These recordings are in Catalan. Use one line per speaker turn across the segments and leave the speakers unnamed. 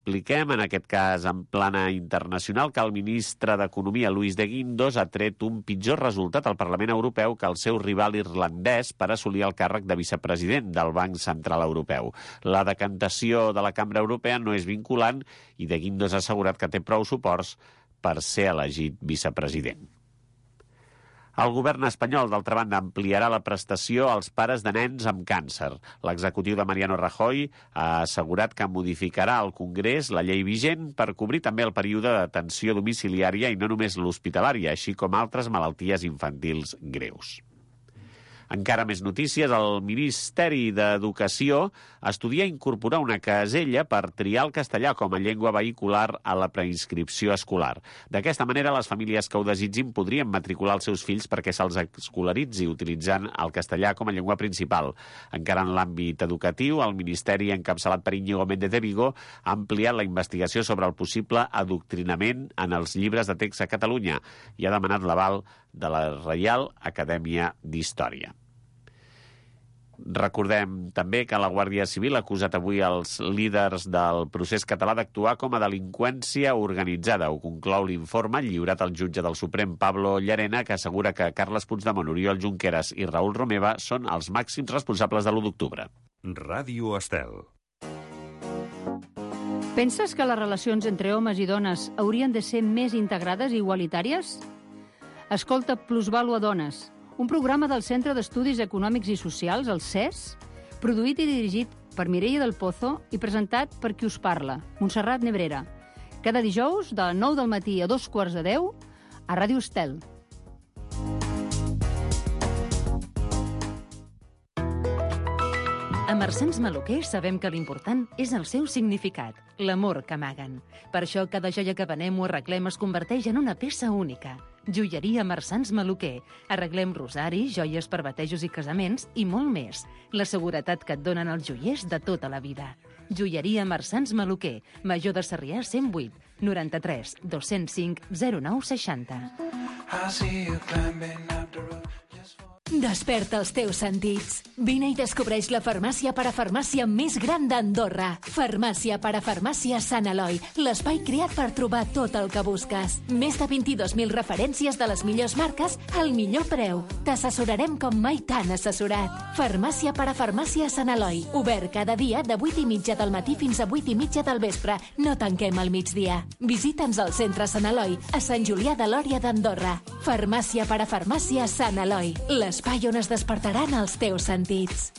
Expliquem, en aquest cas en plana internacional, que el ministre d'Economia, Luis de Guindos, ha tret un pitjor resultat al Parlament Europeu que el seu rival irlandès per assolir el càrrec de vicepresident del Banc Central Europeu. La decantació de la Cambra Europea no és vinculant i de Guindos ha assegurat que té prou suports per ser elegit vicepresident. El govern espanyol, d'altra banda, ampliarà la prestació als pares de nens amb càncer. L'executiu de Mariano Rajoy ha assegurat que modificarà al Congrés la llei vigent per cobrir també el període d'atenció domiciliària i no només l'hospitalària, així com altres malalties infantils greus. Encara més notícies, el Ministeri d'Educació estudia incorporar una casella per triar el castellà com a llengua vehicular a la preinscripció escolar. D'aquesta manera, les famílies que ho desitgin podrien matricular els seus fills perquè se'ls escolaritzi utilitzant el castellà com a llengua principal. Encara en l'àmbit educatiu, el Ministeri, encapçalat per Íñigo Méndez de Vigo, ha ampliat la investigació sobre el possible adoctrinament en els llibres de text a Catalunya i ha demanat l'aval de la Reial Acadèmia d'Història. Recordem també que la Guàrdia Civil ha acusat avui els líders del procés català d'actuar com a delinqüència organitzada. Ho conclou l'informe lliurat al jutge del Suprem, Pablo Llarena, que assegura que Carles Puigdemont, Oriol Junqueras i Raül Romeva són els màxims responsables de l'1 d'octubre.
Ràdio Estel.
Penses que les relacions entre homes i dones haurien de ser més integrades i igualitàries? Escolta Plusvàlua Dones, un programa del Centre d'Estudis Econòmics i Socials, el CES, produït i dirigit per Mireia del Pozo i presentat per qui us parla, Montserrat Nebrera. Cada dijous, de 9 del matí a 9:15, a Ràdio Estel.
A Marsans Maluquer sabem que l'important és el seu significat, l'amor que amaguen. Per això cada joia que venem o arreglem es converteix en una peça única. Joieria Marsans Maluquer. Arreglem rosaris, joies per batejos i casaments i molt més. La seguretat que et donen els joiers de tota la vida. Joieria Marsans Maluquer. Major de Sarrià 108 93 205 0960.
Desperta els teus sentits. Vine i descobreix la farmàcia parafarmàcia més gran d'Andorra. Farmàcia parafarmàcia Sant Eloi, l'espai creat per trobar tot el que busques. Més de 22.000 referències de les millors marques al millor preu. T'assessorarem com mai t'han assessorat. Farmàcia parafarmàcia Sant Eloi, obert cada dia de 8:30 del matí fins a 8:30 del vespre. No tanquem al migdia. Visita'ns al centre Sant Eloi, a Sant Julià de Lòria d'Andorra. Farmàcia parafarmàcia Sant Eloi, l'espai on es despertaran els teus sentits.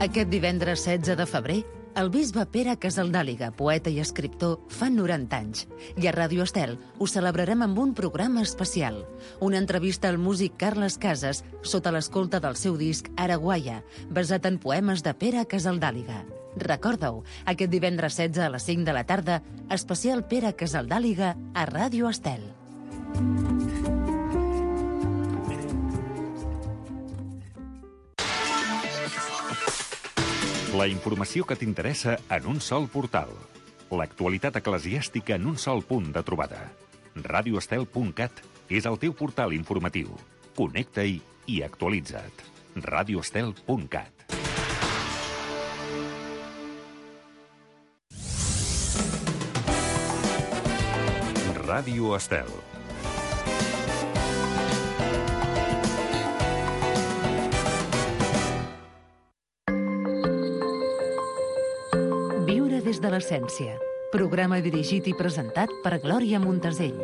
Aquest divendres 16 de febrer, el bisbe Pere Casaldàliga, poeta i escriptor, fa 90 anys. I a Ràdio Estel ho celebrarem amb un programa especial. Una entrevista al músic Carles Casas sota l'escolta del seu disc Araguaia, basat en poemes de Pere Casaldàliga. Recorda-ho, aquest divendres 16 a les 5 de la tarda, especial Pere Casaldàliga a Ràdio Estel.
La informació que t'interessa en un sol portal. L'actualitat eclesiàstica en un sol punt de trobada. radioestel.cat és el teu portal informatiu. Connecta-hi i actualitza't. radioestel.cat. Ràdio Estel.
Viure des de l'essència. Programa dirigit i presentat per Glòria Montesell.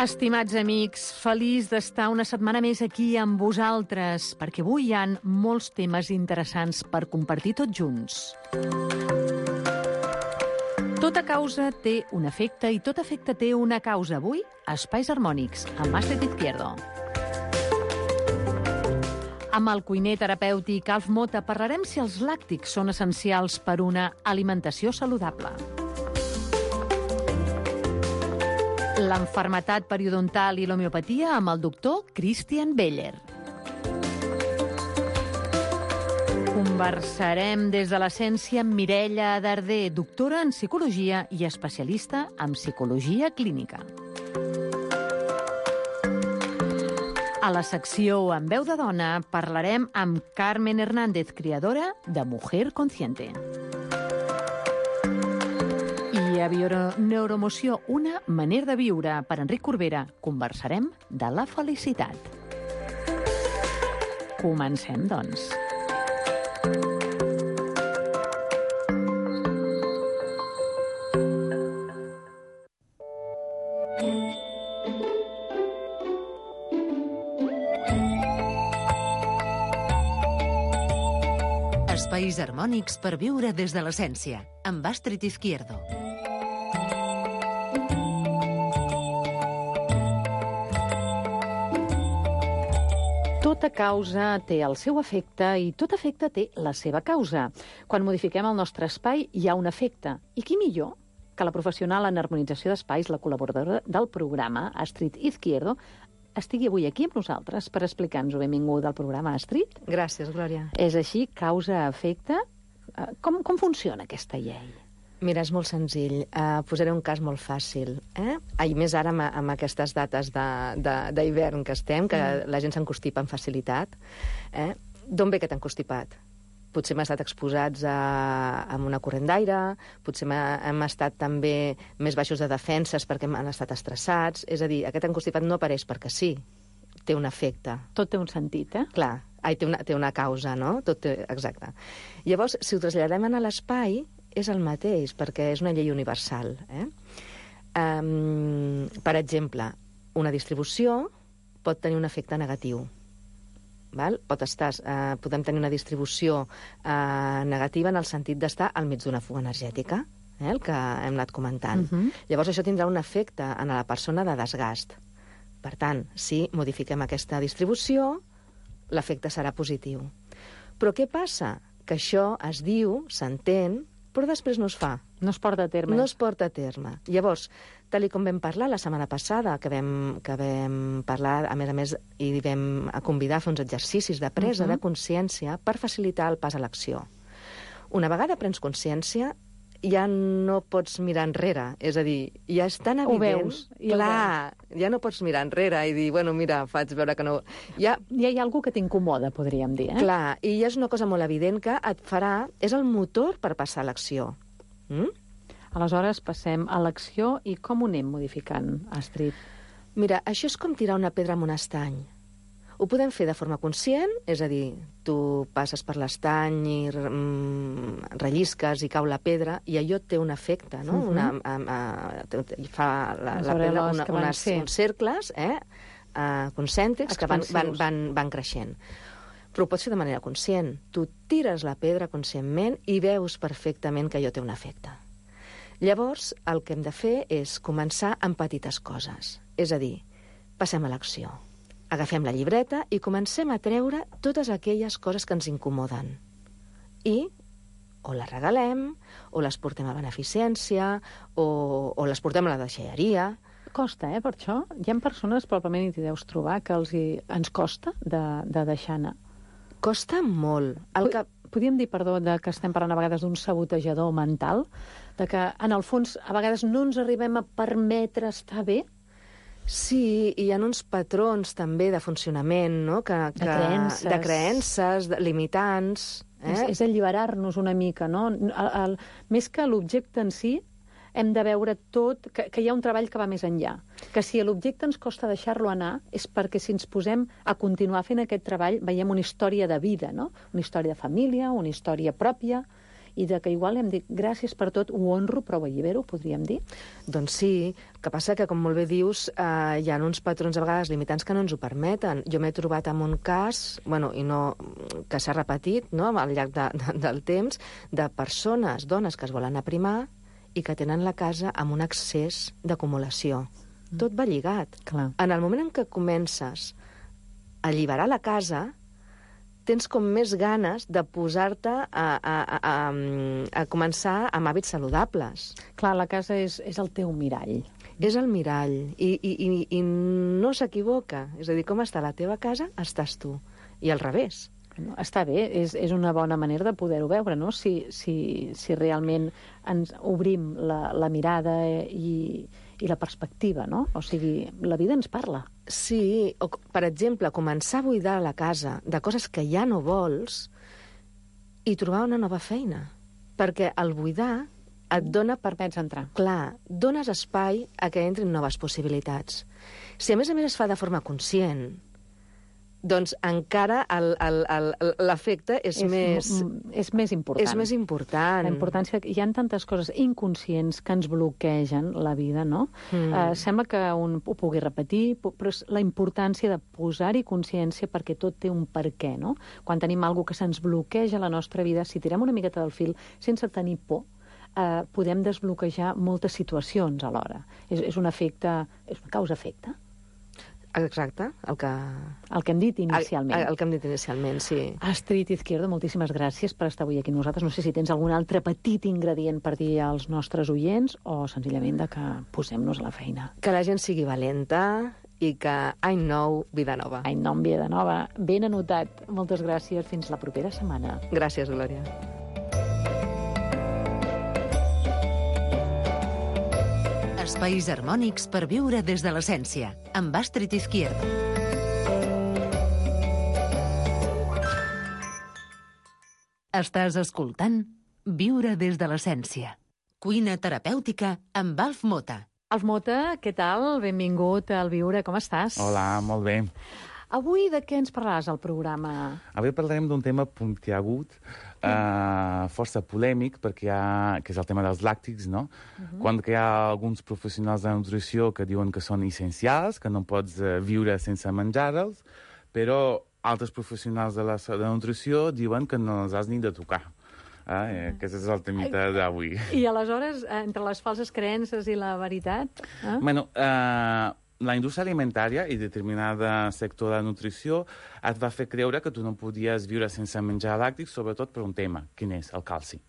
Estimats amics, feliç d'estar una setmana més aquí amb vosaltres, perquè avui hi ha molts temes interessants per compartir tots junts. Tota causa té un efecte i tot efecte té una causa. Avui, Espais Harmònics, amb Astrid Izquierdo. Amb el cuiner terapèutic Alf Mota parlarem si els làctics són essencials per una alimentació saludable. L'enfermetat periodontal i l'homeopatia amb el doctor Christian Beller. Conversarem des de l'essència amb Mireia Darder, doctora en psicologia i especialista en psicologia clínica. A la secció En veu de dona parlarem amb Carmen Hernández, creadora de Mujer Consciente. I a Neuromoció, una manera de viure, per Enric Corbera, conversarem de la felicitat. Comencem, doncs.
Espais harmònics per viure des de l'essència, amb Astrid Izquierdo.
Tota causa té el seu efecte i tot efecte té la seva causa. Quan modifiquem el nostre espai hi ha un efecte. I qui millor que la professional en harmonització d'espais, la col·laboradora del programa, Astrid Izquierdo, estigui avui aquí amb nosaltres per explicar-nos-ho. Benvinguda al programa, Astrid.
Gràcies, Glòria.
És així, causa-efecte. Com funciona aquesta llei?
Mira, és molt senzill. Posaré un cas molt fàcil. I més ara amb aquestes dates d'hivern que estem, que la gent s'encostipa amb facilitat. D'on ve aquest encostipat? Potser hem estat exposats a una corrent d'aire, potser hem estat també més baixos de defenses perquè han estat estressats. És a dir, aquest encostipat no apareix perquè sí, té un efecte.
Tot té un sentit,
Clar, té una causa, no? Exacte. Llavors, si ho traslladem a l'espai, és el mateix, perquè és una llei universal. Per exemple, una distribució pot tenir un efecte negatiu. Podem tenir una distribució negativa en el sentit d'estar al mig d'una fuga energètica, el que hem anat comentant. Llavors això tindrà un efecte en la persona de desgast. Per tant, si modifiquem aquesta distribució, l'efecte serà positiu. Però què passa? Que això es diu, s'entén, però després no es fa.
No es porta a terme.
No es porta a terme. Llavors, tal com vam parlar la setmana passada, que vam parlar, a més, i vam convidar a fer uns exercicis de presa de consciència per facilitar el pas a l'acció. Una vegada prens consciència, ja no pots mirar enrere. És a dir, ja és tan evident...
Ho veus.
Clar, ja no pots mirar enrere i dir, bueno, mira, faig veure que no...
Ja hi ha alguna que t'incomoda, podríem dir,
Clar, i ja és una cosa molt evident que et farà... És el motor per passar a l'acció.
Aleshores, passem a l'acció i com ho anem modificant, Astrid?
Mira, això és com tirar una pedra amb un estany. Ho podem fer de forma conscient, és a dir, tu passes per l'estany i rellisques i cau la pedra, i allò té un efecte, no? Fa la pedra uns cercles concèntrics que van creixent. Però ho pots fer de manera conscient. Tu tires la pedra conscientment i veus perfectament que allò té un efecte. Llavors, el que hem de fer és començar amb petites coses. És a dir, passem a l'acció. Agafem la llibreta i comencem a treure totes aquelles coses que ens incomoden. I o les regalem, o les portem a beneficència, o les portem a la deixalleria.
Costa, per això. Hi ha persones, probablement hi deus trobar, que ens costa de deixar anar.
Costa molt.
Podríem dir, perdó, que estem parlant a vegades d'un sabotejador mental, de que, en el fons, a vegades no ens arribem a permetre estar bé?
Sí, i hi ha uns patrons també de funcionament, no? De creences limitants.
És alliberar-nos una mica, no? Més que l'objecte en si, hem de veure tot, que hi ha un treball que va més enllà. Que si l'objecte ens costa deixar-lo anar, és perquè si ens posem a continuar fent aquest treball, veiem una història de vida, no? Una història de família, una història pròpia, i de que igual hem dit gràcies per tot, ho honro, però ho allibero, podríem dir?
Doncs sí, el que passa que, com molt bé dius, hi ha uns patrons a vegades limitants que no ens ho permeten. Jo m'he trobat en un cas, que s'ha repetit al llarg del temps, de persones, dones que es volen aprimar i que tenen la casa amb un excés d'acumulació. Tot va lligat.
Clar.
En el moment en què comences a alliberar la casa, tens com més ganes de posar-te a començar amb hàbits saludables.
Clar, la casa és el teu mirall.
És el mirall, i no s'equivoca. És a dir, com està la teva casa, estàs tu. I al revés.
Està bé, és una bona manera de poder-ho veure, no? Si realment ens obrim la mirada i la perspectiva, no? O sigui, la vida ens parla.
Sí, o, per exemple, començar a buidar la casa de coses que ja no vols i trobar una nova feina. Perquè el buidar et dona...
Permets entrar.
Clar, dones espai a que entrin noves possibilitats. Si a més es fa de forma conscient, doncs encara l'efecte és més
important.
És més important.
La importància... Hi ha tantes coses inconscients que ens bloquegen la vida, no? Sembla que un ho pugui repetir, però és la importància de posar-hi consciència perquè tot té un per què, no? Quan tenim alguna cosa que se'ns bloqueja a la nostra vida, si tirem una miqueta del fil sense tenir por, podem desbloquejar moltes situacions alhora. És un efecte... És una causa-efecte.
Exacte, el que
hem dit inicialment.
El que hem dit inicialment, sí.
Astrid Izquierdo, moltíssimes gràcies per estar avui aquí amb nosaltres. No sé si tens algun altre petit ingredient per dir als nostres oients o senzillament de que posem-nos a la feina.
Que la gent sigui valenta i que any nou, vida nova.
Any nou, vida nova. Ben anotat. Moltes gràcies. Fins la propera setmana.
Gràcies, Glòria.
Espais harmònics per viure des de l'essència, amb Astrid Izquierdo. Estàs escoltant Viure des de l'essència. Cuina terapèutica amb Alf Mota.
Alf Mota, què tal? Benvingut al Viure, com estàs?
Hola, molt bé.
Avui de què ens parlaràs al programa?
Avui parlarem d'un tema puntiagut, força polèmic, que és el tema dels làctics, no? Quan hi ha alguns professionals de nutrició que diuen que són essencials, que no pots viure sense menjar-los, però altres professionals de la nutrició diuen que no els has ni de tocar. Aquest és el temita d'avui.
I aleshores, entre les falses creences i la veritat?
Bueno, la indústria alimentària i determinada sector de la nutrició et va fer creure que tu no podies viure sense menjar làctics, sobretot per un tema, quin és? El calci.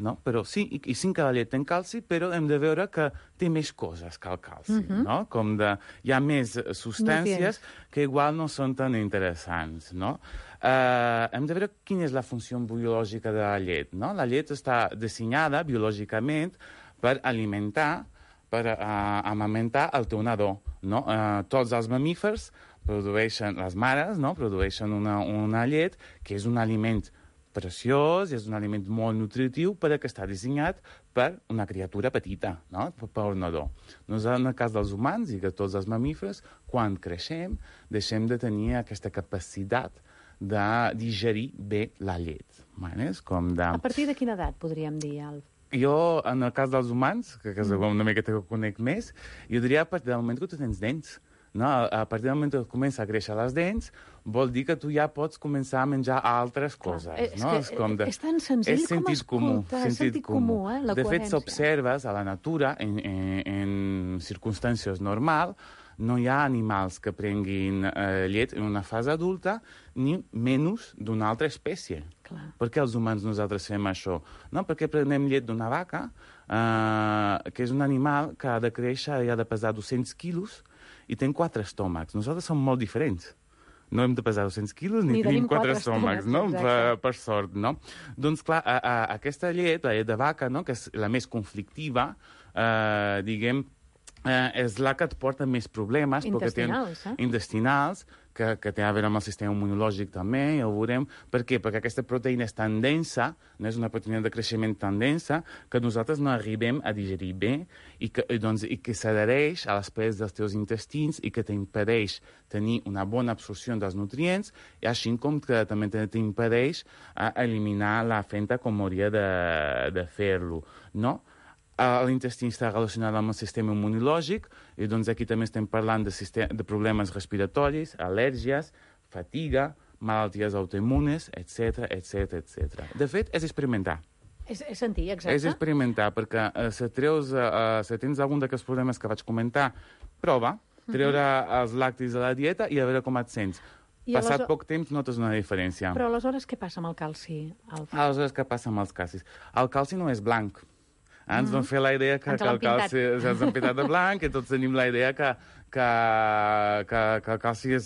No? Però sí, i sí que la llet té calci, però hem de veure que té més coses que el calci, no? Com hi ha més substàncies que igual no són tan interessants, no? Hem de veure quina és la funció biològica de la llet, no? La llet està dissenyada biològicament per alimentar, per amamentar el teu nadó, no? Tots els mamífers produeixen, les mares, no? Produeixen una llet que és un aliment preciós, és un aliment molt nutritiu, però que està dissenyat per una criatura petita, no? Per un nadó. Nosaltres, en el cas dels humans i de tots els mamífers, quan creixem, deixem de tenir aquesta capacitat de digerir bé la llet.
A partir de quina edat, podríem dir, Alf?
Jo, en el cas dels humans, que és una miqueta que conec més, jo diria a partir del moment que tu tens dents. No? A partir del moment que comença a créixer les dents, vol dir que tu ja pots començar a menjar altres coses.
És tan senzill com escolta, sentit comú, la coherència.
De fet, s'observes a la natura, en circumstàncies normals, no hi ha animals que prenguin llet en una fase adulta, ni menys d'una altra espècie.
Clar.
Per què els humans nosaltres fem això? No, perquè prenem llet d'una vaca, que és un animal que ha de créixer i ha de pesar 200 quilos i té 4 estómacs. Nosaltres som molt diferents. No hem de pesar 200 quilos ni tenim 4 estómacs, no? Per sort, no? Doncs, clar, aquesta llet, la llet de vaca, no? Que és la més conflictiva, diguem, és la que et porta més problemes. Intestinals, que té a veure amb el sistema immunològic també, ja ho veurem. Per què? Perquè aquesta proteïna és tan densa, no és una proteïna de creixement tan densa, que nosaltres no arribem a digerir bé i que s'adhereix a les parets dels teus intestins i que t'impedeix tenir una bona absorció dels nutrients, i així com que també t'impedeix eliminar la fenta com hauria de fer-lo, no? L'intestí està relacionat amb el sistema immunològic i doncs aquí també estem parlant de problemes respiratoris, al·lèrgies, fatiga, malalties autoimmunes, etc. De fet, és experimentar.
És sentir, exacte.
És experimentar, perquè si tens algun d'aquests problemes que vaig comentar, prova, treure els làctics de la dieta i a veure com et sents. Passat poc temps notes una diferència.
Però aleshores què passa amb el calci, Alf?
Aleshores què passa amb els calcis? El calci no és blanc. Ens van fer la idea que el calci ens han pintat de blanc, i tots tenim la idea que que el calci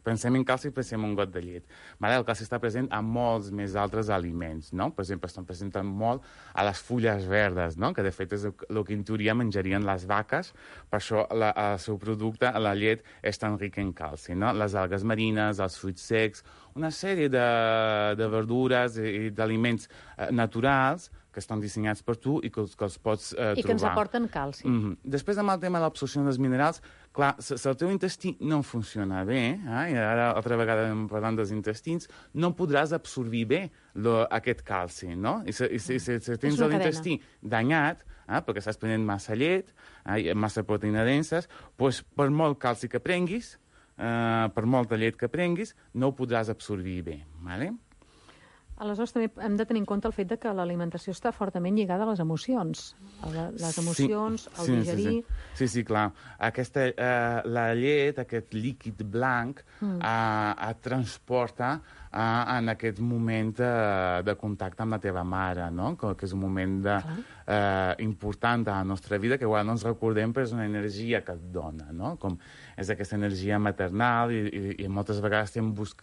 pensem en calci i pensem en un got de llet. El calci està present a molts més altres aliments, no? Per exemple, estan presents molt a les fulles verdes, no? Que de fet és el que en teoria menjarien les vaques, per això el seu producte, la llet, és tan ric en calci, no? Les algues marines, els fruits secs, una sèrie de verdures i d'aliments naturals que estan dissenyats per tu i que els pots trobar.
I que ens aporten calci.
Després, amb el tema de l'absorció dels minerals, clar, si el teu intestí no funciona bé, i ara altra vegada parlant dels intestins, no podràs absorbir bé aquest calci, no? I si tens l'intestí danyat, perquè estàs prenent massa llet, massa proteïna denses, doncs per molt calci que prenguis, per molta llet que prenguis, no ho podràs absorbir bé, d'acord?
Aleshores, també hem de tenir en compte el fet que l'alimentació està fortament lligada a les emocions. Les emocions, el digerir...
Sí, clar. La llet, aquest líquid blanc, et transporta en aquest moment de contacte amb la teva mare, no? Que és un moment important a la nostra vida, que igual no ens recordem, però és una energia que et dona, no? Com és aquesta energia maternal i moltes vegades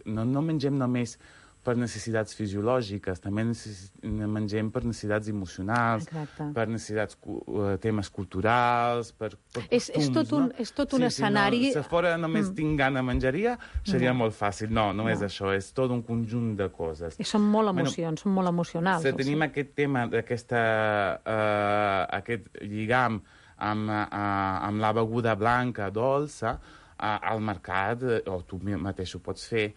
no mengem només per necessitats fisiològiques, també mengem per necessitats emocionals, per necessitats, temes culturals, per costums,
és tot un escenari...
Si fora només tinc gana menjaria, seria molt fàcil. No és això, és tot un conjunt de coses.
I són molt emocions, són molt emocionals.
Si tenim aquest tema, aquest lligam amb la beguda blanca, dolça, al mercat, o tu mateix ho pots fer,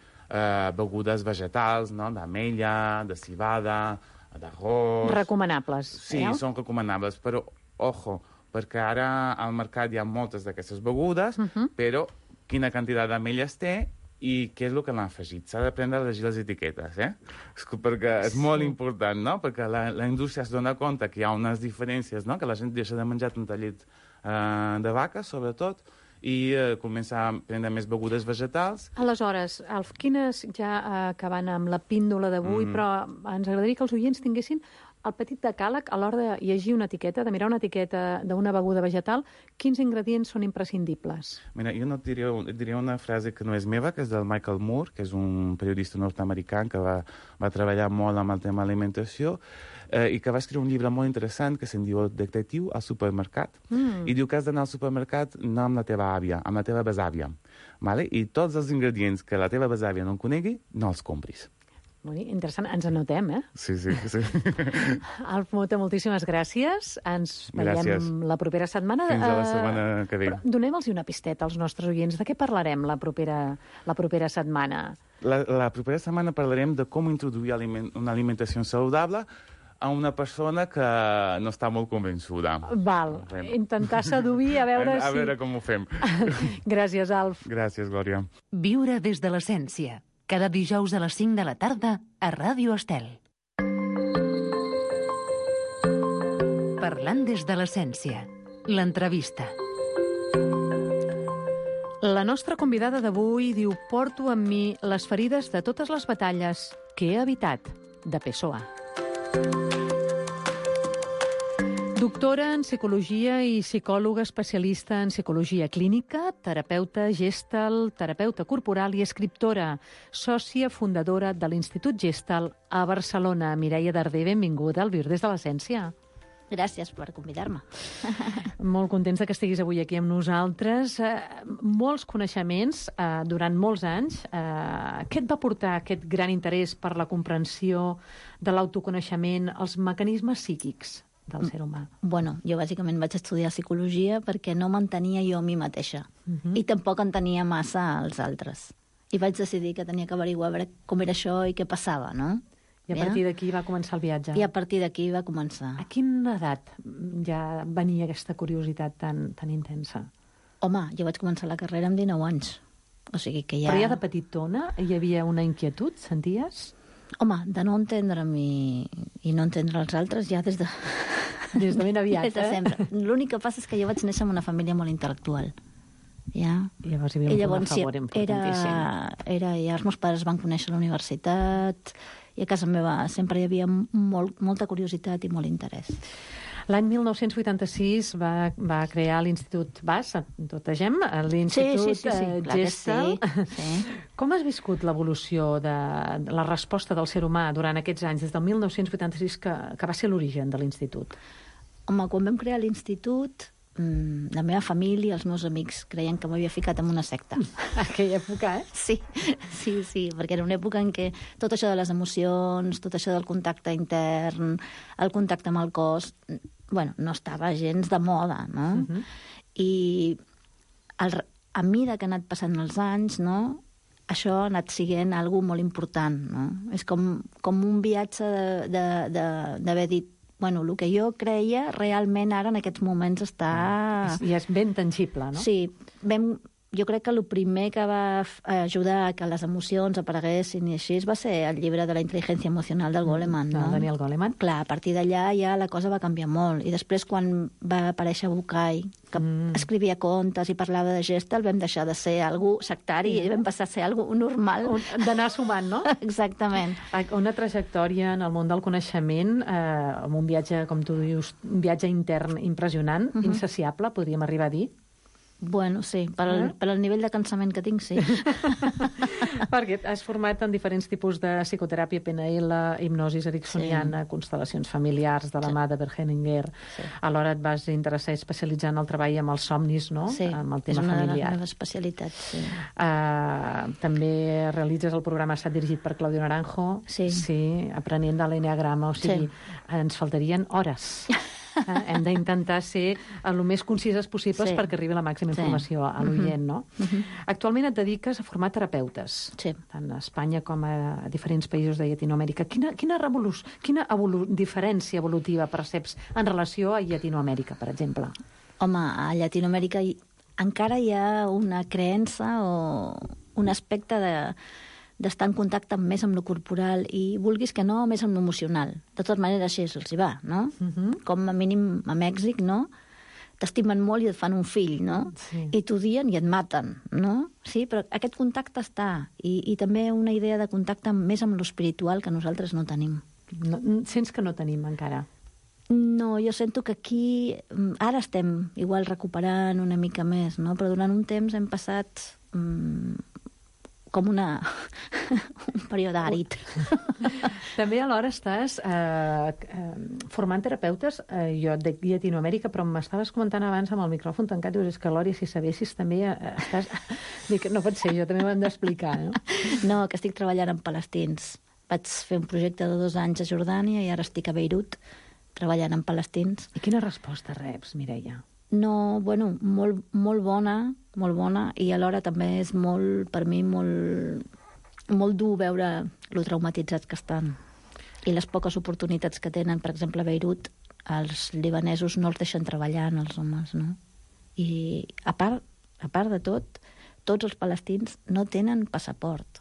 begudes vegetals, no? D'ametlla, de civada, d'arròs...
Recomanables.
Sí, són recomanables, però, ojo, perquè ara al mercat hi ha moltes d'aquestes begudes, però quina quantitat d'ametlles té i què és el que l'han afegit. S'ha d'aprendre a llegir les etiquetes, perquè és molt important, no? Perquè la indústria es dona compte que hi ha unes diferències, no? Que la gent deixa de menjar tanta llet de vaca, sobretot, i comença a prendre més begudes vegetals.
Aleshores, Alf, quines, ja acabant amb la píndola d'avui, però ens agradaria que els oients tinguessin el petit decàleg a l'hora de llegir una etiqueta, de mirar una etiqueta d'una beguda vegetal, quins ingredients són imprescindibles?
Mira, jo et diria una frase que no és meva, que és del Michael Moore, que és un periodista nord-americà que va treballar molt amb el tema alimentació, i que va escriure un llibre molt interessant que se'n diu Detectiu al supermercat. I diu que has d'anar al supermercat no amb la teva àvia, amb la teva besàvia. I tots els ingredients que la teva besàvia no en conegui, no els compris.
Interessant, ens anotem,
Sí.
Alf Mota, moltíssimes gràcies. Ens veiem la propera setmana.
Fins a la setmana que ve.
Donem-los una pisteta als nostres oients. De què parlarem la propera setmana?
La propera setmana parlarem de com introduir una alimentació saludable a una persona que no està molt convençuda.
Val, intentar seduir a veure si...
A veure com ho fem.
Gràcies, Alf.
Gràcies, Glòria.
Viure des de l'essència. Cada dijous a les 5 de la tarda a Ràdio Estel. Parlant des de l'essència. L'entrevista.
La nostra convidada d'avui diu: porto amb mi les ferides de totes les batalles que he evitat, de Pessoa. Doctora en psicologia i psicòloga especialista en psicologia clínica, terapeuta Gestalt, terapeuta corporal i escriptora, sòcia fundadora de l'Institut Gestalt a Barcelona. Mireia Darder, benvinguda al Viure des de l'essència.
Gràcies per convidar-me.
Molt contents que estiguis avui aquí amb nosaltres. Molts coneixements durant molts anys. Què et va portar aquest gran interès per la comprensió de l'autoconeixement, els mecanismes psíquics del ser humà?
Bueno, jo bàsicament vaig estudiar psicologia perquè no m'entenia jo a mi mateixa. I tampoc entenia massa als altres. I vaig decidir que tenia que averiguar com era això i què passava, no?
I a partir d'aquí va començar el viatge.
I a partir d'aquí va començar.
A quina edat ja venia aquesta curiositat tan intensa?
Home, jo vaig començar la carrera amb 19 anys. O sigui que ja...
Però ja de petitona hi havia una inquietud, senties?
Home, de no entendre'm i no entendre els altres ja des de...
Des de ben aviat,
des de sempre. L'únic que passa és que jo vaig néixer en una família molt intel·lectual. Ja.
Llavors hi havia un favor importantíssim.
Ja els meus pares van conèixer la universitat i a casa meva sempre hi havia molta curiositat i molt interès.
L'any 1986 va crear l'Institut BAS, totegem, l'Institut Gestel.
Sí.
Com has viscut l'evolució de la resposta del ser humà durant aquests anys, des del 1986, que va ser l'origen de l'Institut?
Home, quan vam crear l'Institut, la meva família, els meus amics, creien que m'havia ficat en una secta.
Aquella època,
Sí, perquè era una època en què tot això de les emocions, tot això del contacte intern, el contacte amb el cos, no estava gens de moda, no? I a mesura que han anat passant els anys, no?, això ha anat sent algo molt important, no? És com un viatge d'haver dit el que jo creia realment ara en aquests moments està...
I és ben tangible, no?
Sí. Jo crec que el primer que va ajudar a que les emocions apareguessin i així va ser el llibre de la intel·ligència emocional del Goleman, no?
Daniel Goleman.
Clar, a partir d'allà ja la cosa va canviar molt. I després, quan va aparèixer Bucay, que escrivia contes i parlava de Gestel, vam deixar de ser algú sectari i vam passar a ser algú normal.
D'anar sumant, no?
Exactament.
Una trajectòria en el món del coneixement, amb un viatge, com tu dius, un viatge intern impressionant, insaciable, podríem arribar a dir.
Sí, per al nivell de cansament que tinc, sí.
Perquè has format en diferents tipus de psicoteràpia, PNL, hipnosis ericksoniana, constel·lacions familiars de la mà de Bert Hellinger. Alhora et vas interessar i especialitzar en el treball amb els somnis, no?
Sí,
amb el tema
és una
familiar.
de les meves especialitats, sí.
També realitzes el programa Estat dirigit per Claudio Naranjo.
Sí,
aprenent de l'enneagrama, o sigui, ens faltarien hores. Hem d'intentar ser el més concises possibles perquè arribi la màxima informació a l'oient, no? Actualment et dediques a formar terapeutes, tant a Espanya com a diferents països de Llatinoamèrica. Quina diferència evolutiva perceps en relació a Llatinoamèrica, per exemple?
Home, a Llatinoamèrica encara hi ha una creença o un aspecte d'estar en contacte més amb lo corporal i, vulguis que no, més amb l'emocional. De totes maneres, així els hi va, no? Com a mínim a Mèxic, no? T'estimen molt i et fan un fill, no?
Sí.
I t'odien i et maten, no? Sí, però aquest contacte està. I també una idea de contacte més amb l'espiritual que nosaltres no tenim.
Sents que no tenim encara?
No, jo sento que aquí ara estem igual recuperant una mica més, no? Però durant un temps hem passat com un període àrid.
També alhora estàs formant terapeutes, jo de Llatinoamèrica, però m'estaves comentant abans amb el micròfon tancat, dius, és que, Lòria, si sabessis també estàs... Dic, no pot ser, jo també m'ho hem d'explicar, no?
No, que estic treballant amb palestins. Vaig fer un projecte de 2 anys a Jordània i ara estic a Beirut treballant amb palestins.
I quina resposta reps, Mireia?
No, molt bona, i alhora també és per mi, molt dur veure lo traumatitzats que estan. I les poques oportunitats que tenen, per exemple, a Beirut, els libanesos no els deixen treballar en els homes, no? I a part de tot, tots els palestins no tenen passaport.